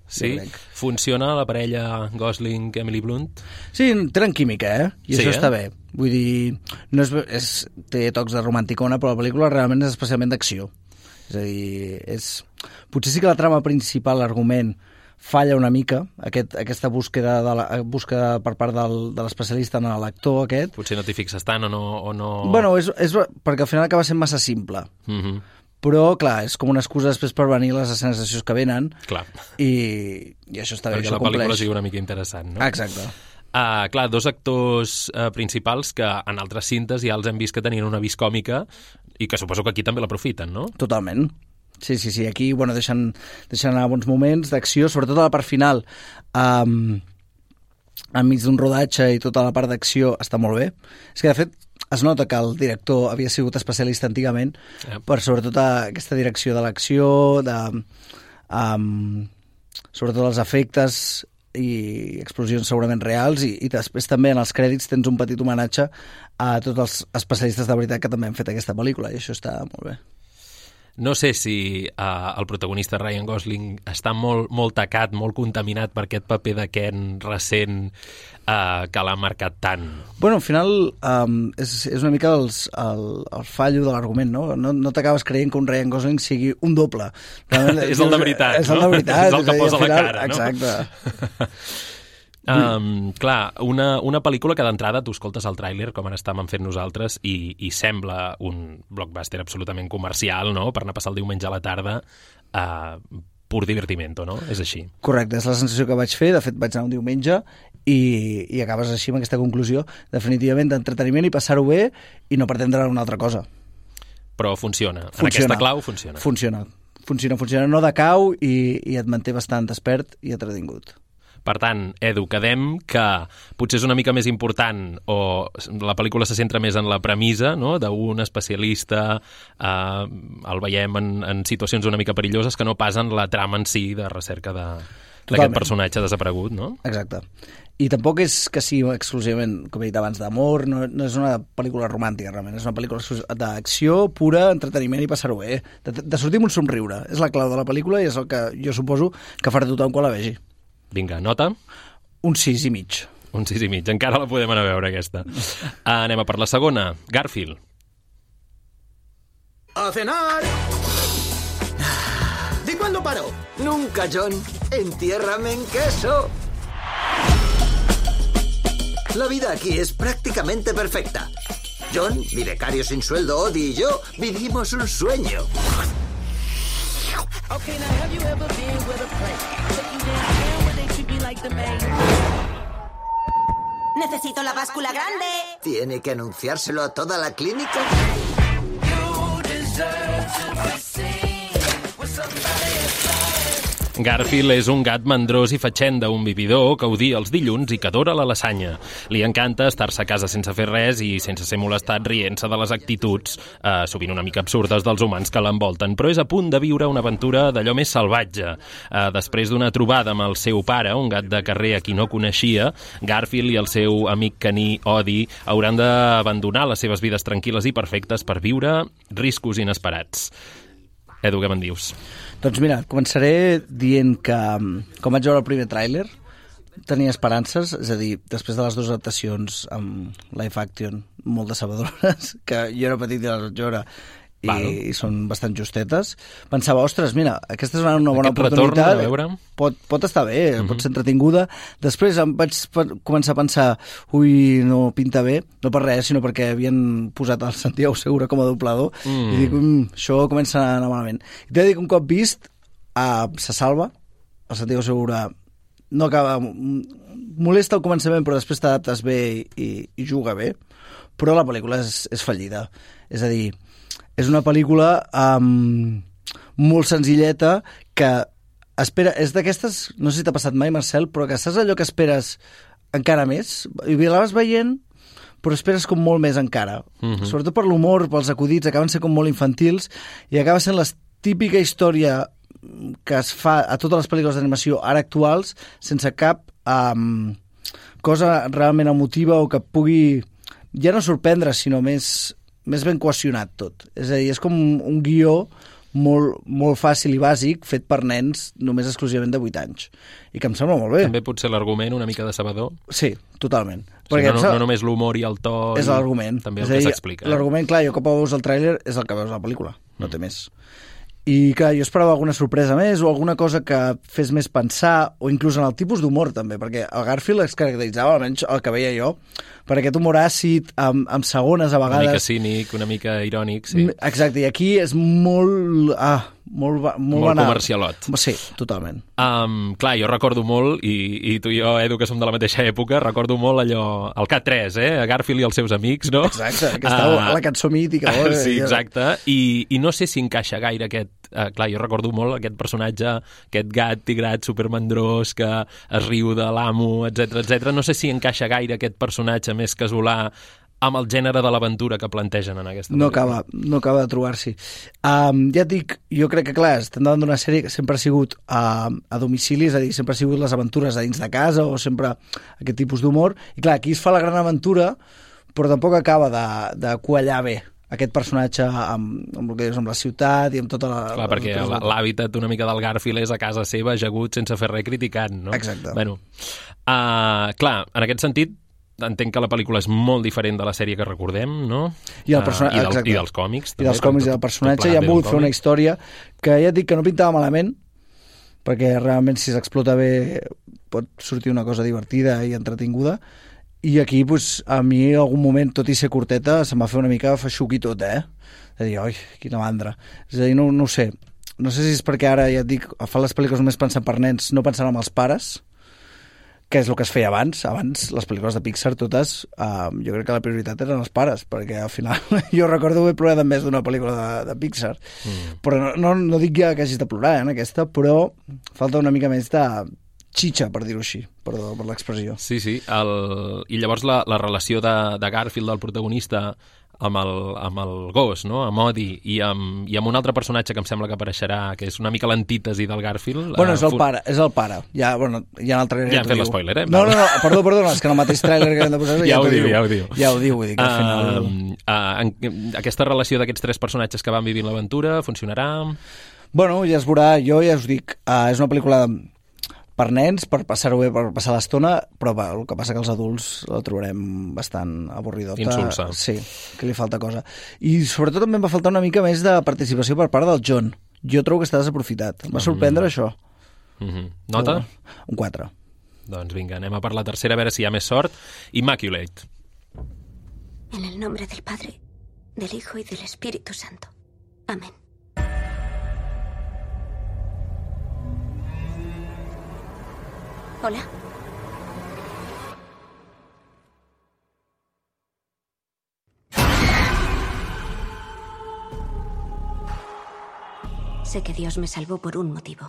Sí? Funciona la parella Gosling-Emily Blunt? Sí, tenen química, eh? I sí, això eh? està bé. Vull dir, no és, és, té tocs de romanticona, però la pel·lícula realment és especialment d'acció. És a dir, és... potser sí que la trama principal, l'argument, falla una mica, aquest, aquesta búsqueda, de la, búsqueda per part del, de l'especialista en l'actor aquest. Potser no t'hi fixes tant o no... O no... Bueno, és, és perquè al final acaba sent massa simple. Mm -hmm. Però, clar, és com una excusa després per venir les escenes d'acció que venen. Clar. I, i això està bé, perquè això la pel·lícula compleix. sigui una mica interessant, no? Exacte. Uh, clar, dos actors uh, principals que en altres cintes ja els hem vist que tenien una vis còmica i que suposo que aquí també l'aprofiten, no? Totalment. Sí, sí, sí. Aquí, bueno, deixen, deixen anar bons moments d'acció, sobretot a la part final. Um, enmig d'un rodatge i tota la part d'acció està molt bé. És que, de fet, es nota que el director havia sigut especialista antigament, yep. per sobretot aquesta direcció de l'acció, de, um, sobretot els efectes i explosions segurament reals, i, i després també en els crèdits tens un petit homenatge a tots els especialistes de veritat que també han fet aquesta pel·lícula, i això està molt bé. No sé si uh, el protagonista Ryan Gosling està molt, molt tacat, molt contaminat per aquest paper de Ken recent uh, que l'ha marcat tant. Bueno, al final um, és, és una mica els, el, el fallo de l'argument, no? No, no t'acabes creient que un Ryan Gosling sigui un doble. És el de veritat, és no? És el de veritat. És el que posa final, la cara, no? Exacte. Um, clar, una, una pel·lícula que d'entrada tu escoltes el tràiler, com ara estàvem fent nosaltres, i, i sembla un blockbuster absolutament comercial, no?, per anar a passar el diumenge a la tarda, uh, pur divertimento, no? És així. Correcte, és la sensació que vaig fer. De fet, vaig anar un diumenge i, i acabes així amb aquesta conclusió, definitivament d'entreteniment i passar-ho bé i no pretendre una altra cosa. Però funciona. Funciona. En aquesta clau funciona. Funciona. Funciona, funciona. No decau i, i et manté bastant despert i entretingut. Per tant, Edu, quedem que potser és una mica més important o la pel·lícula se centra més en la premissa, no?, d'un especialista, eh, el veiem en, en situacions una mica perilloses, que no pas en la trama en si de recerca d'aquest personatge desaparegut, no? Exacte. I tampoc és que sigui exclusivament, com he dit abans, d'amor, no, no és una pel·lícula romàntica, realment, és una pel·lícula d'acció pura, entreteniment i passar-ho bé, de, de sortir amb un somriure. És la clau de la pel·lícula i és el que jo suposo que farà tothom quan la vegi. Vinga, nota? Un sis i mig. Un sis i mig. Encara la podem anar a veure, aquesta. Uh, anem a per la segona. Garfield. ¡A cenar! ¿De cuándo paró? Nunca, John. Entiérrame en queso. La vida aquí es prácticamente perfecta. John, mi becario sin sueldo, Odie y yo vivimos un sueño. Okay, now have you ever been with a place? Looking down where they treat me like the main. Necesito la báscula grande. ¿Tiene que anunciárselo a toda la clínica? You deserve to be seen with somebody else. Garfield és un gat mandrós i fatxenda, un vividor que odia els dilluns i que adora la lasanya. Li encanta estar-se a casa sense fer res i sense ser molestat rient-se de les actituds, eh, sovint una mica absurdes, dels humans que l'envolten, però és a punt de viure una aventura d'allò més salvatge. Eh, després d'una trobada amb el seu pare, un gat de carrer a qui no coneixia, Garfield i el seu amic caní Odie hauran d'abandonar les seves vides tranquil·les i perfectes per viure riscos inesperats. Edu, què me'n dius? Doncs mira, començaré dient que, com vaig veure el primer tràiler, tenia esperances, és a dir, després de les dues adaptacions amb live action molt decebedores, que jo era petit i les vaig veure, i, i són bastant justetes, pensava, ostres, mira, aquesta és una, una bona Aquest oportunitat, retorn a veure... pot, pot estar bé, Uh-huh. pot ser entretinguda. Després em vaig començar a pensar, ui, no pinta bé, no per res, sinó perquè havien posat el Santiago Segura com a doblador, Mm. i dic, mm, això comença a anar malament. I t'he de dir que un cop vist, uh, se salva, el Santiago Segura no acaba... molesta al començament, però després t'adaptes bé i, i juga bé, però la pel·lícula és, és fallida. És a dir, és una pel·lícula um, molt senzilleta que espera, és d'aquestes, no sé si t'ha passat mai, Marcel, però que saps allò que esperes encara més? I la vas veient, però esperes com molt més encara. Mhm. Sobretot per l'humor, pels acudits, acaben sent com molt infantils i acaba sent la típica història que es fa a totes les pel·lícules d'animació ara actuals sense cap um, cosa realment emotiva o que pugui ja no sorprendre, sinó més, més ben cohesionat tot. És a dir, és com un guió molt, molt fàcil i bàsic fet per nens només exclusivament de vuit anys. I que em sembla molt bé. També pot ser l'argument una mica decebedor. Sí, totalment. O sigui, no, no, no només l'humor i el to... És l'argument. També és el a que dir, s'explica. Eh? L'argument, clar, jo cop veus el tràiler és el que veus a la pel·lícula, no té més. I clar, jo esperava alguna sorpresa més o alguna cosa que fes més pensar, o inclús en el tipus d'humor també, perquè el Garfield es caracteritzava, almenys el que veia jo, per aquest humor àcid, amb, amb segones a vegades. Una mica cínic, una mica irònic, sí. Exacte, i aquí és molt... Ah, molt, molt, molt banal. Comercialot. Sí, totalment. Um, clar, jo recordo molt, i, i tu i jo, Edu, que som de la mateixa època, recordo molt allò, el K tres, eh? Garfield i els seus amics, no? Exacte, que estava uh, la cançó mítica. Oh, sí, exacte, I, i no sé si encaixa gaire aquest... Uh, clar, jo recordo molt aquest personatge, aquest gat tigrat supermandrós que es riu de l'amo, etcètera, etcètera. No sé si encaixa gaire aquest personatge més casolà amb el gènere de l'aventura que plantegen en aquesta no pel·lícula. Acaba, no acaba de trobar-s'hi. Um, ja et dic, jo crec que, clar, estem davant d'una sèrie que sempre ha sigut uh, a domicili, és a dir, sempre ha sigut les aventures a dins de casa o sempre aquest tipus d'humor. I clar, aquí es fa la gran aventura, però tampoc acaba de, de quallar bé aquest personatge amb, amb, el que dius, amb la ciutat i amb tota la... Clar, perquè l'hàbitat una mica del Garfield és a casa seva, ajagut, sense fer res, criticant, no? Exacte. Bueno, uh, clar, en aquest sentit, entenc que la pel·lícula és molt diferent de la sèrie que recordem, no? I, el persona... uh, i, del, exacte. i dels còmics. I dels còmics i del personatge. I han volgut fer una història que ja et dic que no pintava malament, perquè realment si s'explota bé pot sortir una cosa divertida i entretinguda. I aquí, pues, a mi, en algun moment, tot i ser curteta, se'm va fer una mica feixuc i tot, eh? De dir, oi, quina mandra. És a dir, no, no ho sé. No sé si és perquè ara, ja et dic, fan les pel·lícules només pensant per nens, no pensant en els pares, que és el que es feia abans. Abans, les pel·lícules de Pixar, totes, eh, jo crec que la prioritat eren els pares, perquè al final jo recordo haver plorat en més d'una pel·lícula de, de Pixar. Mm. Però no, no, no dic ja que hagis de plorar, eh, en aquesta, però falta una mica més de xitxa, per dir-ho així, perdó per l'expressió. Sí, sí. El... I llavors la, la relació de, de Garfield, del protagonista, amb el, amb el gos, no? Amb Odie, i amb, i amb un altre personatge que em sembla que apareixerà, que és una mica l'antítesi del Garfield. Bueno, és el pare, és el pare. Ja, bueno, ja en el trailer ja hem fet l'espoiler, eh? No, no, no, perdó, perdó, és que en el mateix trailer que hem de posar ja, ja ho diu, diu. ja ho diu. Ja ho diu, vull dir que al final... Uh, uh, en, aquesta relació d'aquests tres personatges que van vivint l'aventura funcionarà? Bueno, ja es veurà, jo ja us dic, uh, és una pel·lícula per nens, per passar-ho bé, per passar l'estona, però va, el que passa que els adults la trobarem bastant avorridota. Insulsa. Sí, que li falta cosa. I sobretot també em va faltar una mica més de participació per part del John. Jo trobo que està desaprofitat. Em va sorprendre mm. això. Mm-hmm. Nota? Però, un quatre. Doncs vinga, anem a per la tercera, a veure si hi ha més sort. Immaculate. En el nombre del Padre, del Hijo y del Espíritu Santo. Amén. Hola. Sé que Dios me salvó por un motivo.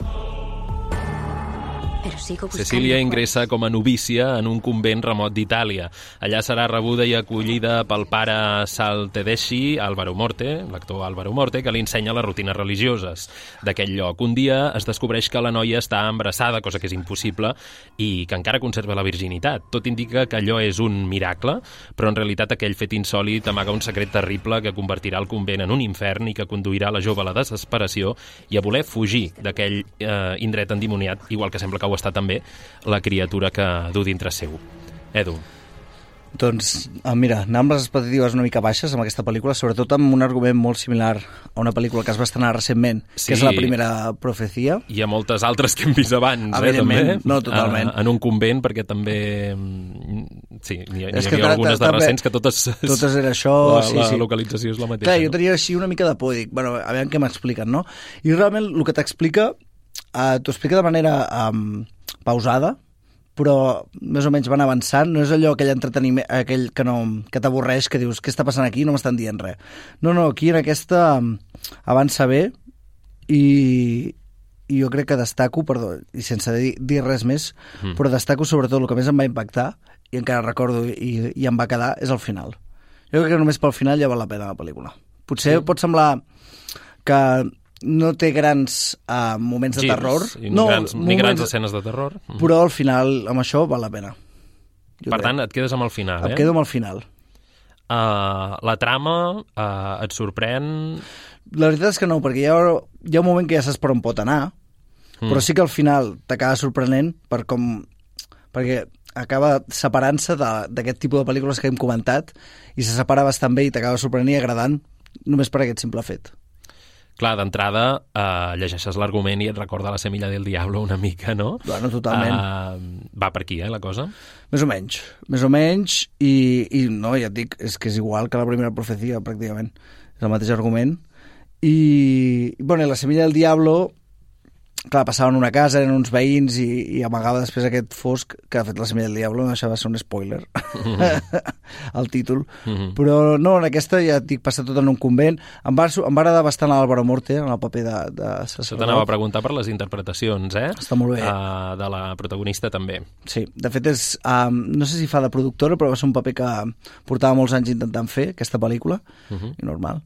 Però sigo buscant... Cecília ingressa com a novícia en un convent remot d'Itàlia. Allà serà rebuda i acollida pel pare Sal Tedeschi, Álvaro Morte, l'actor Álvaro Morte, que li ensenya les rutines religioses d'aquell lloc. Un dia es descobreix que la noia està embarassada, cosa que és impossible, i que encara conserva la virginitat. Tot indica que allò és un miracle, però en realitat aquell fet insòlit amaga un secret terrible que convertirà el convent en un infern i que conduirà la jove a la desesperació i a voler fugir d'aquell eh, indret endimoniat, igual que sembla que ho està també la criatura que du dintre seu. Edu. Doncs, mira, anar amb les expectatives una mica baixes amb aquesta pel·lícula, sobretot amb un argument molt similar a una pel·lícula que es va estrenar recentment, sí, que és La primera profecia. Hi ha moltes altres que hem vist abans, eh, també. No, totalment. Uh, en un convent, perquè també... Sí, n'hi ha, hi havia algunes de recents que totes... Totes era això, la, sí, la sí. localització és la mateixa. Clar, jo tenia així una mica de por, dic, bueno, a veure què m'expliquen, no? I realment el que t'explica, uh, t'ho explica de manera um, pausada, però més o menys van avançant, no és allò aquell entreteniment, aquell que, no, que t'avorreix, que dius, què està passant aquí? No m'estan dient res. No, no, aquí en aquesta avança bé i, i jo crec que destaco, perdó, i sense dir, dir res més, mm. però destaco sobretot el que més em va impactar, i encara recordo i, i em va quedar, és el final. Jo crec que només pel final ja val la pena la pel·lícula. Potser sí. pot semblar que no té grans uh, moments de Girs, terror. Ni, no, grans, ni grans escenes de terror. Però al final, amb això, val la pena. Jo per crec. tant, et quedes amb el final, em eh? Em quedo amb el final. Uh, la trama uh, et sorprèn? La veritat és que no, perquè hi ha, hi ha un moment que ja saps per on pot anar, mm. però sí que al final t'acaba sorprenent per com... perquè acaba separant-se d'aquest tipus de pel·lícules que hem comentat i se separa bastant bé i t'acaba sorprenent i agradant només per aquest simple fet. Clar, d'entrada, eh, llegeixes l'argument i et recorda La semilla del diablo una mica, no? Bueno, totalment. Uh, va per aquí, eh, la cosa? Més o menys, més o menys, i, i no, ja et dic, és que és igual que la primera profecia, pràcticament. És el mateix argument. I, bueno, La semilla del diablo, clar, passaven una casa, eren uns veïns i, i amagava després aquest fosc que ha fet La semilla del diablo, no deixava de ser un spoiler, mm-hmm. el títol. Mm-hmm. Però no, en aquesta ja et dic, passa tot en un convent. Em va, em va agradar bastant l'Álvaro Morte en el paper de, de sacerdot. T'anava a preguntar per les interpretacions, eh? Està molt bé. Uh, de la protagonista també. Sí, de fet és, um, no sé si fa de productora, però va ser un paper que portava molts anys intentant fer, aquesta pel·lícula, mm-hmm. i normal.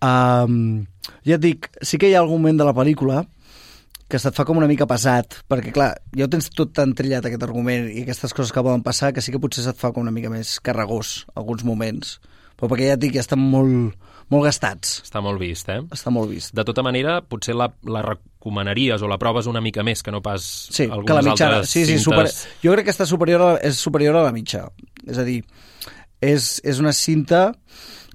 Um, ja et dic, sí que hi ha algun moment de la pel·lícula que se't fa com una mica pesat, perquè clar, ja ho tens tot tan trillat aquest argument i aquestes coses que poden passar, que sí que potser se't fa com una mica més carregós alguns moments, però perquè ja et dic, ja estan molt, molt gastats. Està molt vist, eh? Està molt vist. De tota manera, potser la, la recomanaries o la proves una mica més que no pas sí, algunes que la mitjana, altres sí, sí, cintes. Super, jo crec que està superior a, és superior a la mitja. És a dir, és, és una cinta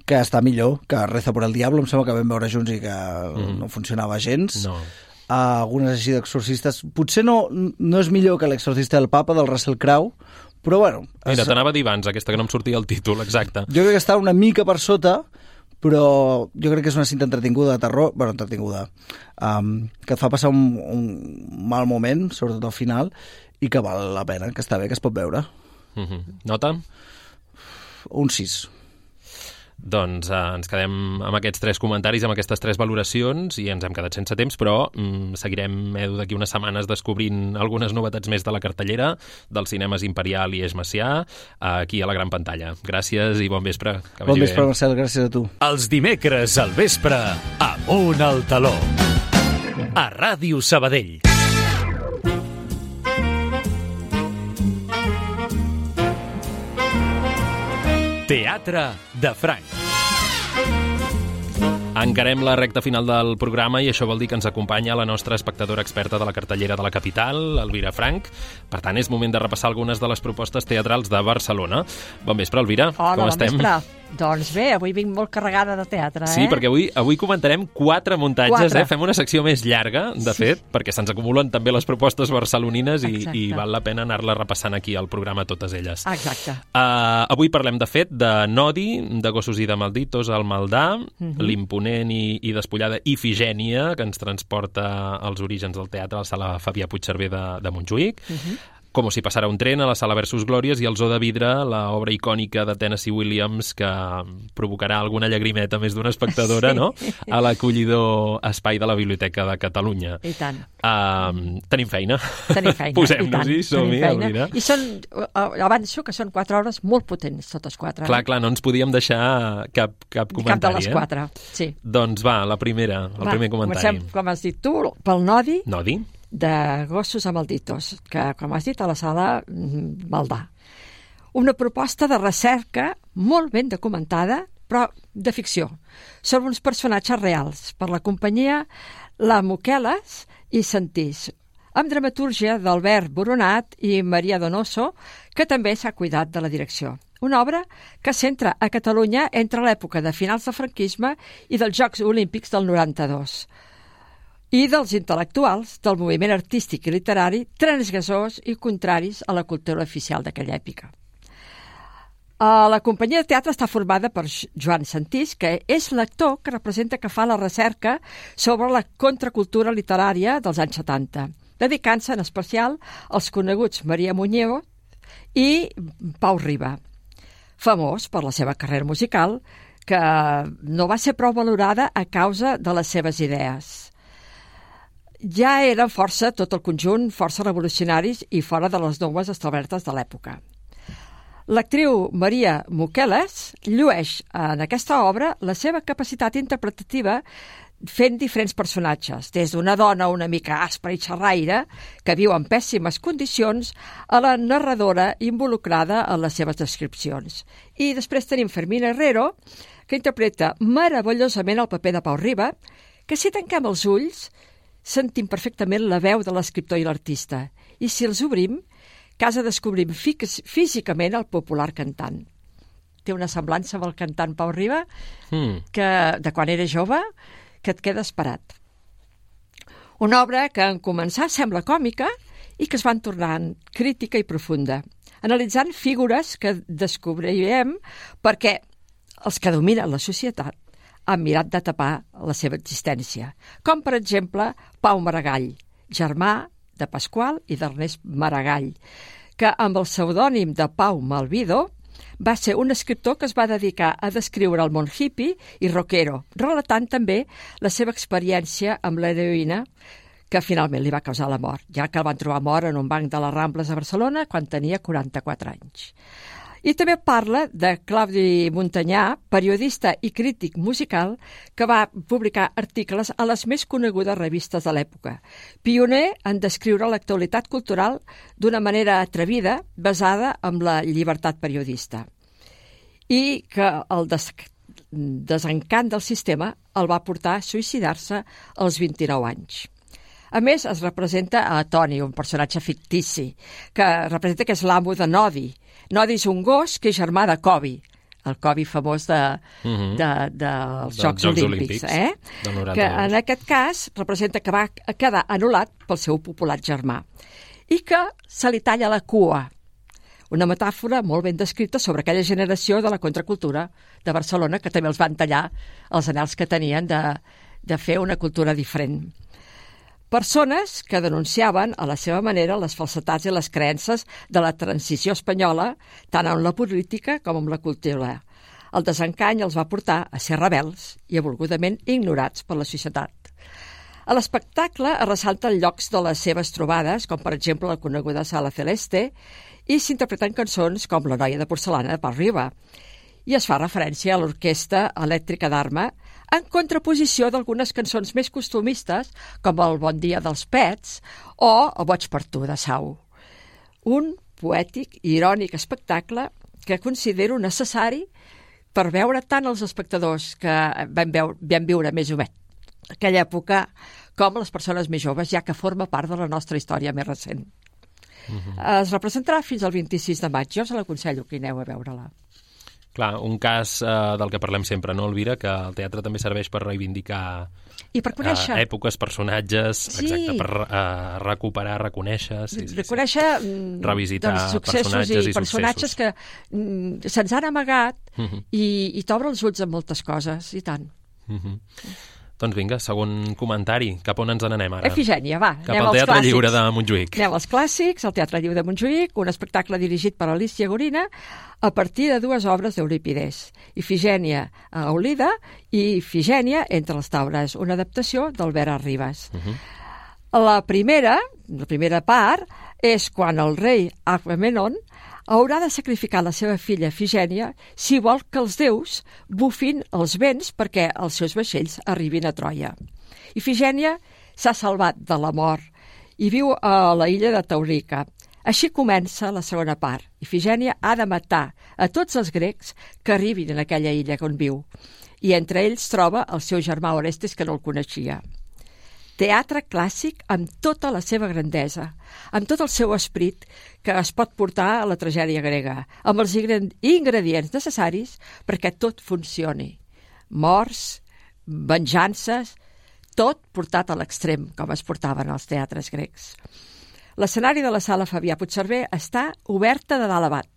que està millor que Reza por el Diablo, em sembla que vam veure junts i que mm. no funcionava gens. No. Uh, algunes així d'exorcistes. Potser no, no és millor que l'exorcista del Papa, del Russell Crowe, però bueno... Mira, es... t'anava a dir abans, aquesta que no em sortia el títol, exacte. Jo crec que està una mica per sota, però jo crec que és una cinta entretinguda de terror, bueno, entretinguda, um, que et fa passar un, un mal moment, sobretot al final, i que val la pena, que està bé, que es pot veure. Mm-hmm. Nota? Un sis. Doncs eh, ens quedem amb aquests tres comentaris, amb aquestes tres valoracions, i ens hem quedat sense temps, però mm, seguirem, Edu, d'aquí unes setmanes descobrint algunes novetats més de la cartellera dels cinemes Imperial i Eix Macià, aquí a la gran pantalla. Gràcies i bon vespre. Que bon vagi vespre, bé. Marcel, gràcies a tu. Els dimecres al vespre, Amunt al Taló, a Ràdio Sabadell. Teatre de Franc. Encarem la recta final del programa i això vol dir que ens acompanya la nostra espectadora experta de la cartellera de la capital, Elvira Frank. Per tant, és moment de repassar algunes de les propostes teatrals de Barcelona. Bon vespre, Elvira. Hola, com bon estem? Vespre. Doncs bé, avui vinc molt carregada de teatre, eh? Sí, perquè avui, avui comentarem quatre muntatges, quatre. eh? Fem una secció més llarga, de sí. fet, perquè se'ns acumulen també les propostes barcelonines i, i val la pena anar-la repassant aquí al programa totes elles. Exacte. Uh, avui parlem, de fet, de Nodi, de Gossos i de Malditos al Maldà, uh-huh. l'imponent i, i despullada Ifigènia, que ens transporta als orígens del teatre a la sala Fabià Puigcerver de, de Montjuïc. Uh-huh. Com si passara un tren a la sala Versus Glòries i el Zoo de Vidre, l'obra icònica de Tennessee Williams, que provocarà alguna llagrimeta més d'una espectadora, sí. no? A l'acollidor espai de la Biblioteca de Catalunya. I tant. Uh, tenim feina. Tenim feina, Posem-nos-hi, som-hi, Elvira. I són, avanço que són quatre hores molt potents, totes quatre. Clar, clar, no ens podíem deixar cap, cap comentari. Cap de les quatre, eh? sí. Doncs va, la primera, el va, primer comentari. Comencem, com has dit tu, pel Nodi. Nodi. De Gossos a Malditos, que, com has dit, a la sala Maldà. Una proposta de recerca molt ben documentada, però de ficció, sobre uns personatges reals, per la companyia La Moqueles i Sentís, amb dramatúrgia d'Albert Boronat i Maria Donoso, que també s'ha cuidat de la direcció. Una obra que centra a Catalunya entre l'època de finals del franquisme i dels Jocs Olímpics del noranta-dos. I dels intel·lectuals del moviment artístic i literari transgressors i contraris a la cultura oficial d'aquella època. La companyia de teatre està formada per Joan Sentís, que és l'actor que representa que fa la recerca sobre la contracultura literària dels anys setanta, dedicant-se en especial als coneguts Maria Muñoz i Pau Riba, famós per la seva carrera musical, que no va ser prou valorada a causa de les seves idees. Ja eren força, tot el conjunt, força revolucionaris i fora de les normes establertes de l'època. L'actriu Maria Moqueles llueix en aquesta obra la seva capacitat interpretativa fent diferents personatges, des d'una dona una mica aspra i xerraire, que viu en pèssimes condicions, a la narradora involucrada en les seves descripcions. I després tenim Fermina Herrero, que interpreta meravellosament el paper de Pau Riba, que si tanquem els ulls sentim perfectament la veu de l'escriptor i l'artista, i si els obrim, casa descobrim físicament el popular cantant. Té una semblança amb el cantant Pau Riba, mm. que, de quan era jove, que et quedes parat. Una obra que en començar sembla còmica i que es van tornant crítica i profunda, analitzant figures que descobrirem perquè els que dominen la societat han mirat de tapar la seva existència, com per exemple Pau Maragall, germà de Pasqual i d'Ernest Maragall, que amb el pseudònim de Pau Malvido va ser un escriptor que es va dedicar a descriure el món hippie i rockero, relatant també la seva experiència amb l'heroïna, que finalment li va causar la mort, ja que el van trobar mort en un banc de les Rambles a Barcelona quan tenia quaranta-quatre anys. I també parla de Claudi Montanyà, periodista i crític musical, que va publicar articles a les més conegudes revistes de l'època, pioner en descriure l'actualitat cultural d'una manera atrevida, basada en la llibertat periodista, i que el des desencant del sistema el va portar a suïcidar-se als vint-i-nou anys. A més, es representa a Toni, un personatge fictici, que representa que és l'amo de Nodi. Nodi és un gos que és germà de Kobe, el Kobe famós de, uh-huh. de, de, dels de Jocs, Jocs Olímpics. Eh? Que en aquest cas representa que va quedar anul·lat pel seu popular germà i que se li talla la cua. Una metàfora molt ben descrita sobre aquella generació de la contracultura de Barcelona que també els van tallar els anhels que tenien de, de fer una cultura diferent. Persones que denunciaven a la seva manera les falsetats i les creences de la transició espanyola, tant en la política com en la cultura. El desencany els va portar a ser rebels i a volgudament ignorats per la societat. A l'espectacle es ressalten llocs de les seves trobades, com per exemple la coneguda Sala Celeste, i s'interpreten cançons com La noia de porcelana de Pau Riba. I es fa referència a l'Orquestra Elèctrica d'Arma, en contraposició d'algunes cançons més costumistes, com el Bon dia dels Pets o el Boig per tu, de Sau. Un poètic i irònic espectacle que considero necessari per veure tant els espectadors que vam, veure, vam viure més o menys aquella època com les persones més joves, ja que forma part de la nostra història més recent. Uh-huh. Es representarà fins al vint-i-sis de maig. Jo us l'aconsello que aneu a veure-la. Clar, un cas eh, del que parlem sempre, no, Elvira? Que el teatre també serveix per reivindicar I per conèixer. Eh, èpoques, personatges, sí. exacte, per eh, recuperar, reconèixer... Sí, sí, reconèixer sí. Revisitar dels successos personatges i, i personatges successos. que mm, se'ns han amagat uh-huh. i, i t'obre els ulls en moltes coses, i tant. Uh-huh. Doncs vinga, segon comentari. Cap on ens n'anem ara? Efigènia, va. Cap al Teatre clàssics. Lliure de Montjuïc. Anem als clàssics, el Teatre Lliure de Montjuïc, un espectacle dirigit per Alicia Gorina a partir de dues obres d'Eurípides, Ifigènia a Eulida i Ifigènia entre les taules, una adaptació d'Albert Arribas. Uh-huh. La primera, la primera part, és quan el rei Agamenon haurà de sacrificar la seva filla Ifigènia si vol que els déus bufin els vents perquè els seus vaixells arribin a Troia. Ifigènia s'ha salvat de la mort i viu a la illa de Taurica. Així comença la segona part. Ifigènia ha de matar a tots els grecs que arribin en aquella illa on viu, i entre ells troba el seu germà Orestes, que no el coneixia. Teatre clàssic amb tota la seva grandesa, amb tot el seu esperit que es pot portar a la tragèdia grega, amb els ingredients necessaris perquè tot funcioni. Morts, venjances, tot portat a l'extrem, com es portaven als teatres grecs. L'escenari de la sala Fabià Puigcerver està oberta de dalt a baix.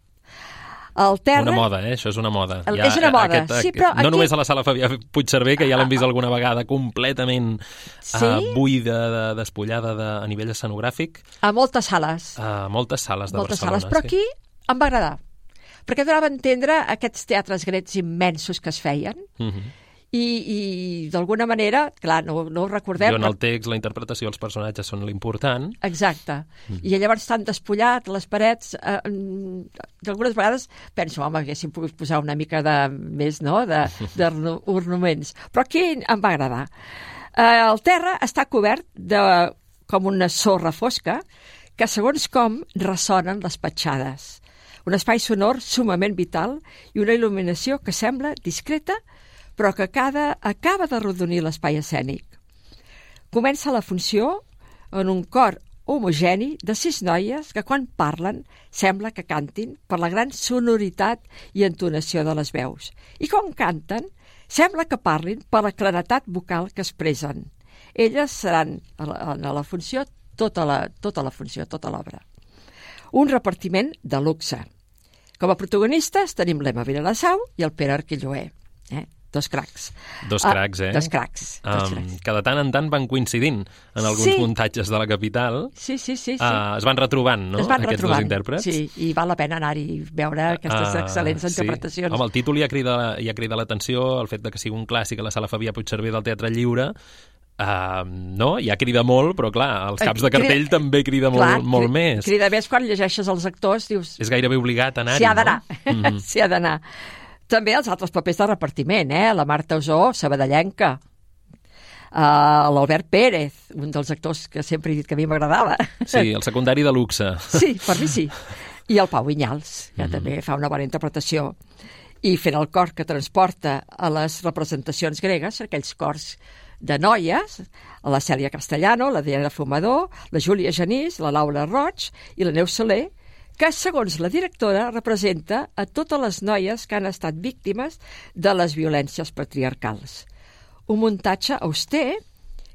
El terra... Una moda, eh? Això és una moda. El, ja, és una moda, aquest, sí, però... No aquí... només a la sala Fabià Puigcerver, que ja l'hem vist alguna vegada completament sí? uh, buida, de, despullada de, a nivell escenogràfic. A moltes sales. A moltes sales de moltes Barcelona. Sales. Però sí. aquí em va agradar, perquè donava a entendre aquests teatres grecs immensos que es feien, uh-huh. i, i d'alguna manera, clar, no, no ho recordem... Jo en el text, la interpretació dels personatges són l'important. Exacte. Mm. I llavors estan despullat les parets. Eh, d'algunes vegades penso, home, haguéssim pogut posar una mica de més, no?, d'ornaments. Però aquí em va agradar. Eh, el terra està cobert de com una sorra fosca que, segons com, ressonen les petjades. Un espai sonor sumament vital i una il·luminació que sembla discreta, però que cada, acaba de rodonir l'espai escènic. Comença la funció en un cor homogeni de sis noies que quan parlen sembla que cantin per la gran sonoritat i entonació de les veus. I quan canten sembla que parlin per la claretat vocal que expressen. Elles seran a la, a la funció, tota la, tota la funció, tota l'obra. Un repartiment de luxe. Com a protagonistes tenim l'Emma Vilassau i el Pere Arquilloé. Eh? Dos cracs. Dos cracs, eh? Ah, dos cracs. Dos um, cracs. que de tant en tant van coincidint en alguns sí. muntatges de la capital. Sí, sí, sí. sí. Uh, es van retrobant, no?, es van aquests retrobant. dos intèrprets. Sí, i val la pena anar-hi i veure aquestes uh, excel·lents interpretacions. Sí. Home, el títol ja crida, ja crida l'atenció, el fet de que sigui un clàssic a la Sala Fabià Puigcerver del Teatre Lliure. Uh, no? Ja crida molt, però clar, als caps de cartell crida, també crida clar, molt, molt crida, més. Crida més quan llegeixes els actors, dius... És gairebé obligat a anar-hi, S'hi ha d'anar, no? Mm-hmm. s'hi ha d'anar. També els altres papers de repartiment, eh? La Marta Usó, sabadellenca, uh, l'Albert Pérez, un dels actors que sempre he dit que a mi m'agradava. Sí, el secundari de luxe. Sí, per mi sí. I el Pau Vinyals, que mm-hmm. també fa una bona interpretació. I fent el cor que transporta a les representacions gregues, aquells cors de noies, la Cèlia Castellano, la Diana Fumador, la Júlia Genís, la Laura Roig i la Neus Soler, que, segons la directora, representa a totes les noies que han estat víctimes de les violències patriarcals. Un muntatge auster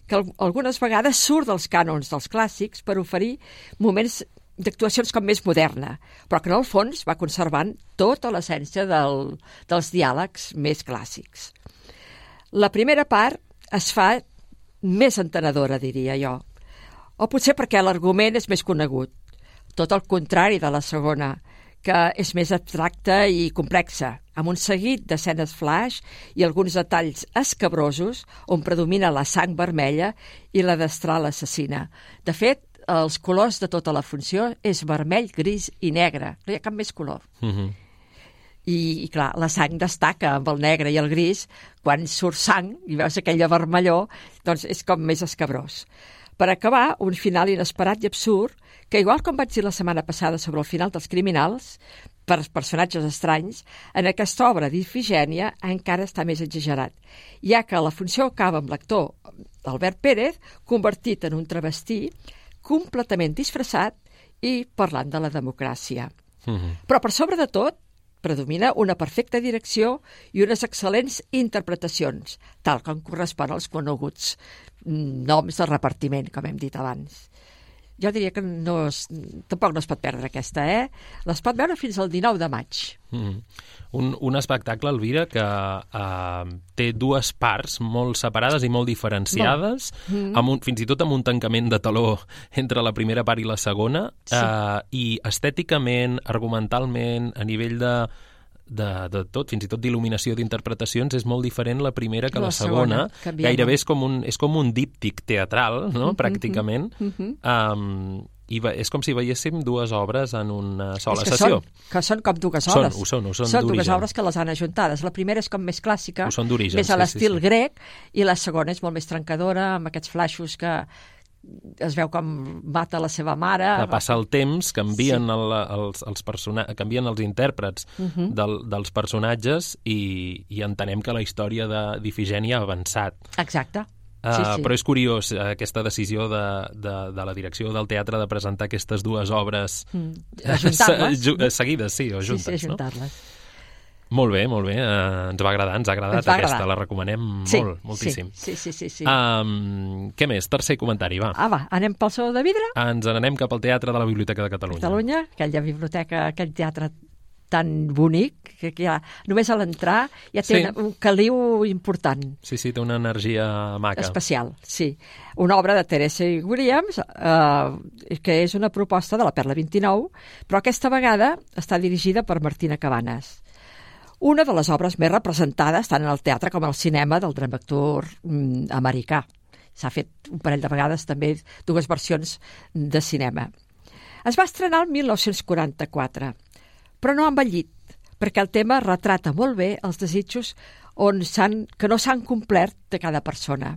que algunes vegades surt dels cànons dels clàssics per oferir moments d'actuacions com més moderna, però que en el fons va conservant tota l'essència del, dels diàlegs més clàssics. La primera part es fa més entenedora, diria jo, o potser perquè l'argument és més conegut. Tot el contrari de la segona, que és més abstracta i complexa, amb un seguit d'escenes flash i alguns detalls escabrosos on predomina la sang vermella i la destral assassina. De fet, els colors de tota la funció és vermell, gris i negre. No hi ha cap més color. Mm-hmm. I, i clar, la sang destaca amb el negre i el gris. Quan surt sang i veus aquella vermellor, doncs és com més escabrós. Per acabar, un final inesperat i absurd, que igual com vaig dir la setmana passada sobre el final dels criminals, per personatges estranys, en aquesta obra d'Ifigènia encara està més exagerat, ja que la funció acaba amb l'actor Albert Pérez convertit en un travestí completament disfressat i parlant de la democràcia. Mm-hmm. Però per sobre de tot, predomina una perfecta direcció i unes excel·lents interpretacions, tal com correspon als coneguts noms de repartiment, com hem dit abans. Jo diria que no es, tampoc no es pot perdre aquesta, eh? Les pot veure fins al dinou de maig. Mm. Un, un espectacle, Elvira, que uh, té dues parts molt separades i molt diferenciades, mm. amb un, fins i tot amb un tancament de taló entre la primera part i la segona, sí. uh, i estèticament, argumentalment, a nivell de... De, de tot, fins i tot d'il·luminació d'interpretacions, és molt diferent la primera que la, la segona. segona. Gairebé és com un, és com un díptic teatral, no?, mm-hmm, pràcticament. Mm-hmm. Um, I va, és com si veiéssim dues obres en una sola que sessió. Són, que són com dues obres. Són, ho són, ho són, són dues obres que les han ajuntades. La primera és com més clàssica, més a l'estil sí, sí, sí. grec, i la segona és molt més trencadora, amb aquests flaixos que es veu com mata la seva mare. Que passa el temps, canvien, sí. el, els, els persona... canvien els intèrprets uh-huh. del, dels personatges i, i entenem que la història d'Ifigènia ha avançat. Exacte. Uh, sí, sí. Però és curiós uh, aquesta decisió de, de, de la direcció del teatre de presentar aquestes dues obres mm. ajuntar-les. seguides, sí, o juntes. Sí, sí, ajuntar-les. No? Molt bé, molt bé. Uh, ens va agradar, ens ha agradat ens va aquesta, agradar. La recomanem sí, molt, moltíssim. Sí, sí, sí. sí. Um, què més? Tercer comentari, va. Ah, va, anem pel Saló de Vidre? Ens n'anem cap al Teatre de la Biblioteca de Catalunya. Catalunya, aquella biblioteca, aquell teatre tan bonic, que ja només a l'entrar ja té sí. una, un caliu important. Sí, sí, té una energia maca. Especial, sí. Una obra de Tennessee Williams, eh, que és una proposta de la Perla vint-i-nou, però aquesta vegada està dirigida per Martina Cabanes. Una de les obres més representades tant en el teatre com al cinema del dramaturg mm, americà. S'ha fet un parell de vegades també dues versions de cinema. Es va estrenar el mil nou-cents quaranta-quatre, però no ha envellit, perquè el tema retrata molt bé els desitjos on que no s'han complert de cada persona.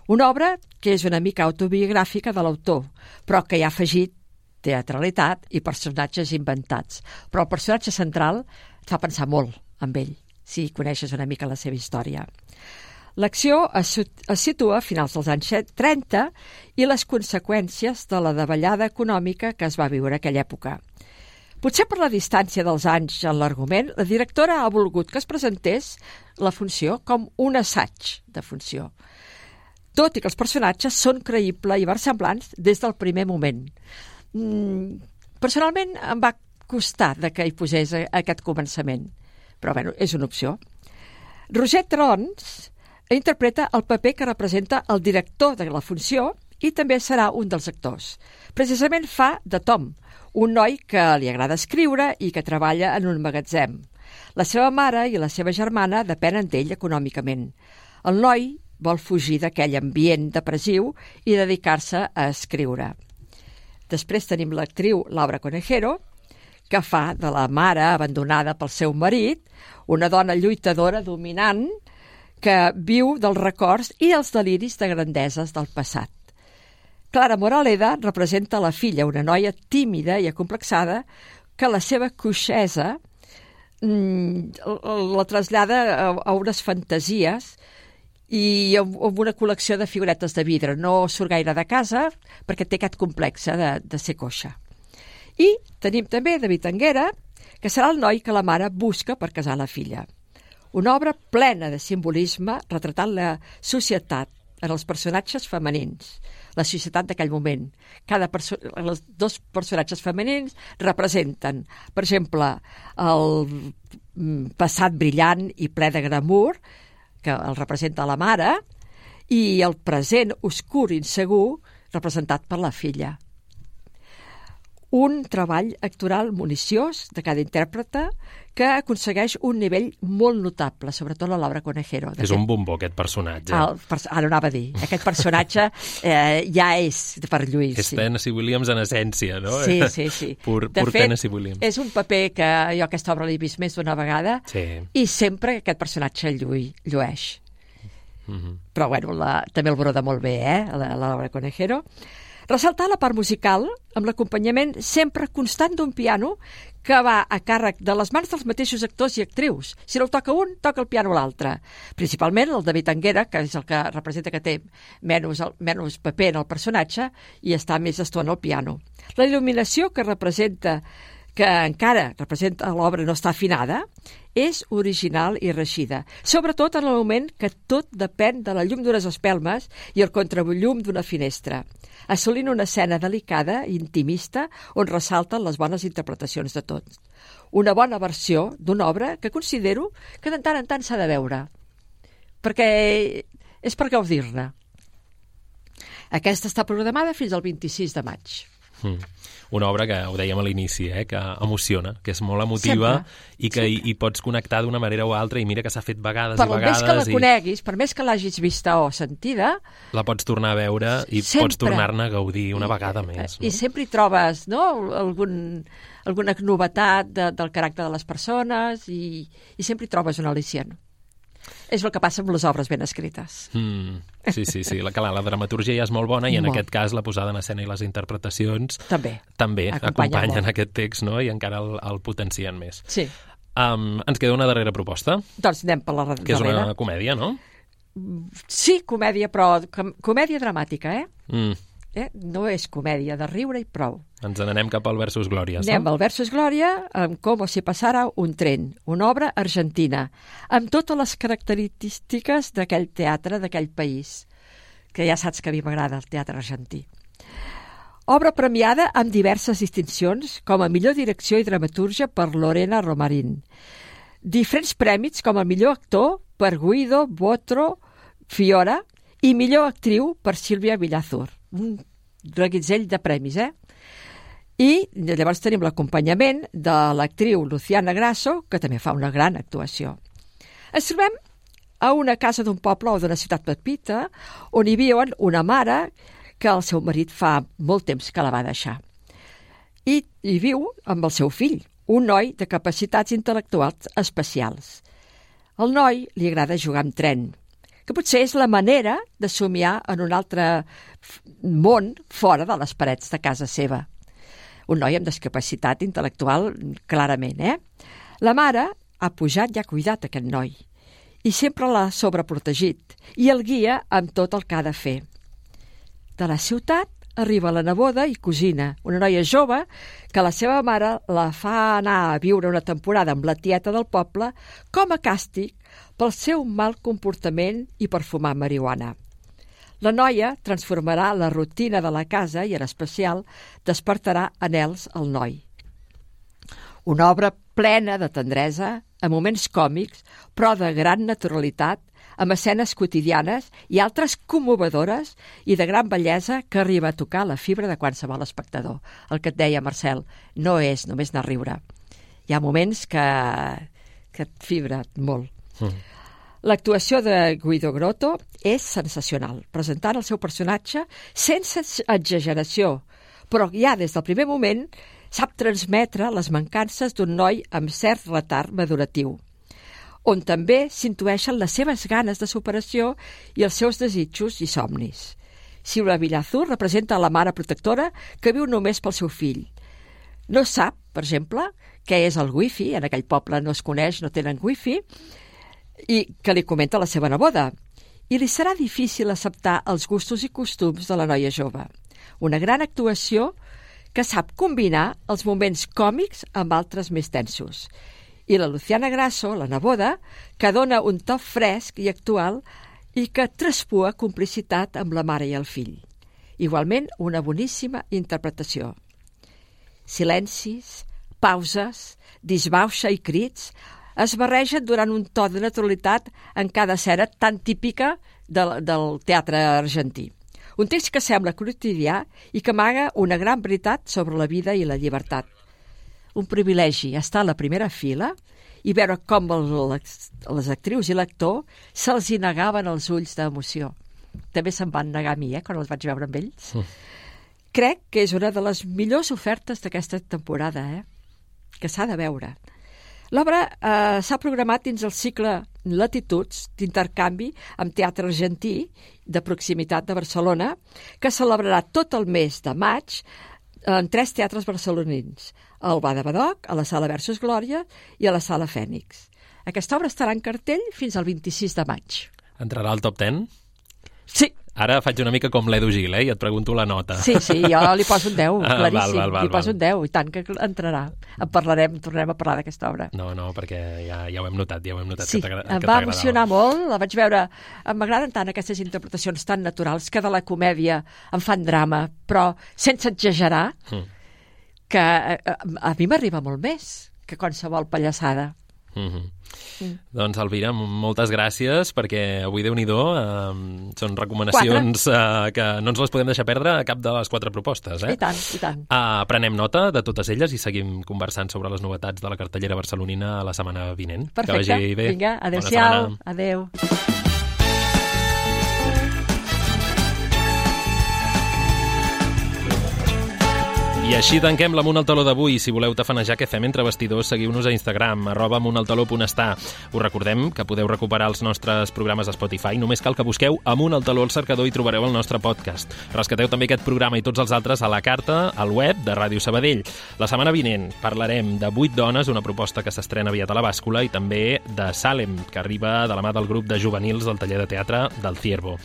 Una obra que és una mica autobiogràfica de l'autor, però que hi ha afegit teatralitat i personatges inventats. Però el personatge central et fa pensar molt amb ell, si coneixes una mica la seva història. L'acció es, es situa a finals dels anys trenta i les conseqüències de la davallada econòmica que es va viure en aquella època. Potser per la distància dels anys en l'argument, la directora ha volgut que es presentés la funció com un assaig de funció, tot i que els personatges són creïbles i versemblants des del primer moment. Mm, personalment em va costar de que hi posés aquest començament, però bueno, és una opció. Roger Trons interpreta el paper que representa el director de la funció i també serà un dels actors. Precisament fa de Tom, un noi que li agrada escriure i que treballa en un magatzem. La seva mare i la seva germana depenen d'ell econòmicament. El noi vol fugir d'aquell ambient depressiu i dedicar-se a escriure. Després tenim l'actriu Laura Conejero, que fa de la mare abandonada pel seu marit, una dona lluitadora dominant que viu dels records i els deliris de grandeses del passat. Clara Moraleda representa la filla, una noia tímida i acomplexada que la seva coixesa mm, la trasllada a, a unes fantasies i amb una col·lecció de figuretes de vidre. No surt gaire de casa perquè té aquest complex de, de ser coixa. I tenim també David Anguera, que serà el noi que la mare busca per casar la filla. Una obra plena de simbolisme retratant la societat en els personatges femenins, la societat d'aquell moment. Cada perso- els dos personatges femenins representen, per exemple, el passat brillant i ple de glamour, que el representa la mare, i el present oscur i insegur, representat per la filla. Un treball actoral municiós de cada intèrprete que aconsegueix un nivell molt notable, sobretot la Laura Conejero. És un bombó, aquest personatge. El, ara anava a dir. Aquest personatge eh, ja és per Lluís. És sí. Tennessee Williams en essència, no? Sí, sí, sí. Pur, de pur fet, Tennessee Williams. És un paper que jo aquesta obra l'he vist més d'una vegada sí. I sempre aquest personatge lluï, llueix. Mm-hmm. Però bueno, la, també el broda molt bé, eh? La, la Laura Conejero. Ressaltar la part musical amb l'acompanyament sempre constant d'un piano que va a càrrec de les mans dels mateixos actors i actrius. Si no el toca un, toca el piano l'altre. Principalment el David Anguera, que és el que representa que té menys, menys paper en el personatge i està més estona al piano. La il·luminació que representa que encara representa l'obra no està afinada, és original i reixida, sobretot en el moment que tot depèn de la llum d'unes espelmes i el contrallum d'una finestra, assolint una escena delicada i intimista on ressalten les bones interpretacions de tots. Una bona versió d'una obra que considero que de tant en tant s'ha de veure, perquè és per gaudir-ne. Aquesta està programada fins al vint-i-sis de maig. Mm. Una obra que, ho dèiem a l'inici, eh, que emociona, que és molt emotiva sempre, i que hi, hi pots connectar d'una manera o altra i mira que s'ha fet vegades per i vegades. Per més que la i... coneguis, per més que l'hagis vista o sentida... La pots tornar a veure i sempre. Pots tornar-ne a gaudir una vegada més. No? I sempre hi trobes no, algun, alguna novetat de, del caràcter de les persones i, i sempre hi trobes un al·licient. És el que passa amb les obres ben escrites. Mm, sí, sí, sí. La, la, la dramaturgia ja és molt bona i en molt. Aquest cas la posada en escena i les interpretacions també, també Acompanya acompanyen molt. aquest text, no? I encara el, el potencien més. Sí. Um, ens queda una darrera proposta. Doncs anem per la darrera. Que és una comèdia, no? Sí, comèdia, però com, comèdia dramàtica, eh? Mm. eh? No és comèdia de riure i prou. Ens n'anem cap al Versus Glòria. Anem al Versus Glòria amb Com si passara un tren, una obra argentina, amb totes les característiques d'aquell teatre, d'aquell país, que ja saps que a mi m'agrada el teatre argentí. Obra premiada amb diverses distincions, com a millor direcció i dramatúrgia per Lorena Romarín. Diferents prèmits com a millor actor per Guido Botro Fiora i millor actriu per Sílvia Villazur. Un reguitzell de premis, eh? I llavors tenim l'acompanyament de l'actriu Luciana Grasso, que també fa una gran actuació. Ens trobem a una casa d'un poble o d'una ciutat petita on hi viuen una mare que el seu marit fa molt temps que la va deixar. I hi viu amb el seu fill, un noi de capacitats intel·lectuals especials. Al noi li agrada jugar amb tren, que potser és la manera de somiar en un altre món fora de les parets de casa seva. Un noi amb discapacitat intel·lectual, clarament, eh? La mare ha pujat i ha cuidat aquest noi i sempre l'ha sobreprotegit i el guia amb tot el que ha de fer. De la ciutat arriba la neboda i cosina, una noia jove que la seva mare la fa anar a viure una temporada amb la tieta del poble com a càstig pel seu mal comportament i per fumar marihuana. La noia transformarà la rutina de la casa i, en especial, despertarà anhels al noi. Una obra plena de tendresa, amb moments còmics, però de gran naturalitat, amb escenes quotidianes i altres commovedores i de gran bellesa que arriba a tocar la fibra de qualsevol espectador. El que et deia, Marcel, no és només anar a riure. Hi ha moments que, que et fibra molt. Mm. L'actuació de Guido Grotto és sensacional, presentant el seu personatge sense exageració, però ja des del primer moment sap transmetre les mancances d'un noi amb cert retard maduratiu, on també s'intueixen les seves ganes de superació i els seus desitjos i somnis. Silvia Villazur representa la mare protectora que viu només pel seu fill. No sap, per exemple, què és el wifi, en aquell poble no es coneix, no tenen wifi, i que li comenta la seva neboda. I li serà difícil acceptar els gustos i costums de la noia jove. Una gran actuació que sap combinar els moments còmics amb altres més tensos. I la Luciana Grasso, la neboda, que dona un to fresc i actual i que traspua complicitat amb la mare i el fill. Igualment, una boníssima interpretació. Silencis, pauses, disbauxa i crits es barregen durant un to de naturalitat en cada escena tan típica del, del teatre argentí. Un text que sembla quotidià i que amaga una gran veritat sobre la vida i la llibertat. Un privilegi estar a la primera fila i veure com les, les actrius i l'actor se'ls hi negaven els ulls d'emoció. També se'm van negar a mi, eh, quan els vaig veure amb ells. Mm. Crec que és una de les millors ofertes d'aquesta temporada, eh, que s'ha de veure. L'obra eh, s'ha programat dins el cicle Latituds d'intercanvi amb teatre argentí de proximitat de Barcelona, que celebrarà tot el mes de maig en tres teatres barcelonins, al Bada Badoc, a la Sala Versus Glòria i a la Sala Fènix. Aquesta obra estarà en cartell fins al vint-i-sis de maig. Entrarà al top deu? Sí. Ara faig una mica com l'Edu Gil, eh? I et pregunto la nota. Sí, sí, jo li poso un deu, ah, claríssim. Val, val, val, li poso un deu, i tant que entrarà. En parlarem, tornarem a parlar d'aquesta obra. No, no, perquè ja, ja ho hem notat, ja ho hem notat. Sí, que em va emocionar molt, la vaig veure. M'agraden tant aquestes interpretacions tan naturals que de la comèdia em fan drama, però sense exagerar, mm. que a, a, a mi m'arriba molt més que qualsevol pallassada. Mm-hmm. Mm. Doncs, Elvira, moltes gràcies, perquè avui, Déu-n'hi-do, eh, són recomanacions eh, que no ens les podem deixar perdre a cap de les quatre propostes. Eh? I tant, i tant. Eh, prenem nota de totes elles i seguim conversant sobre les novetats de la cartellera barcelonina la setmana vinent. Perfecte, que vagi bé. Vinga, adéu-siau, adéu. I així tanquem l'Amunt al Taló d'avui. Si voleu tafanejar què fem entre vestidors, seguiu-nos a Instagram, arroba amuntaltaló.està. Us recordem que podeu recuperar els nostres programes a Spotify. Només cal que busqueu Amunt al Taló al cercador i trobareu el nostre podcast. Rescateu també aquest programa i tots els altres a la carta, al web de Ràdio Sabadell. La setmana vinent parlarem de Vuit dones, una proposta que s'estrena aviat a la bàscula, i també de Salem, que arriba de la mà del grup de juvenils del taller de teatre del Ciervo.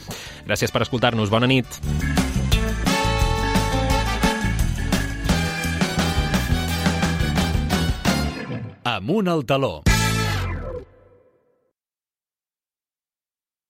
Gràcies per escoltar-nos. Bona nit. Amunt al Taló.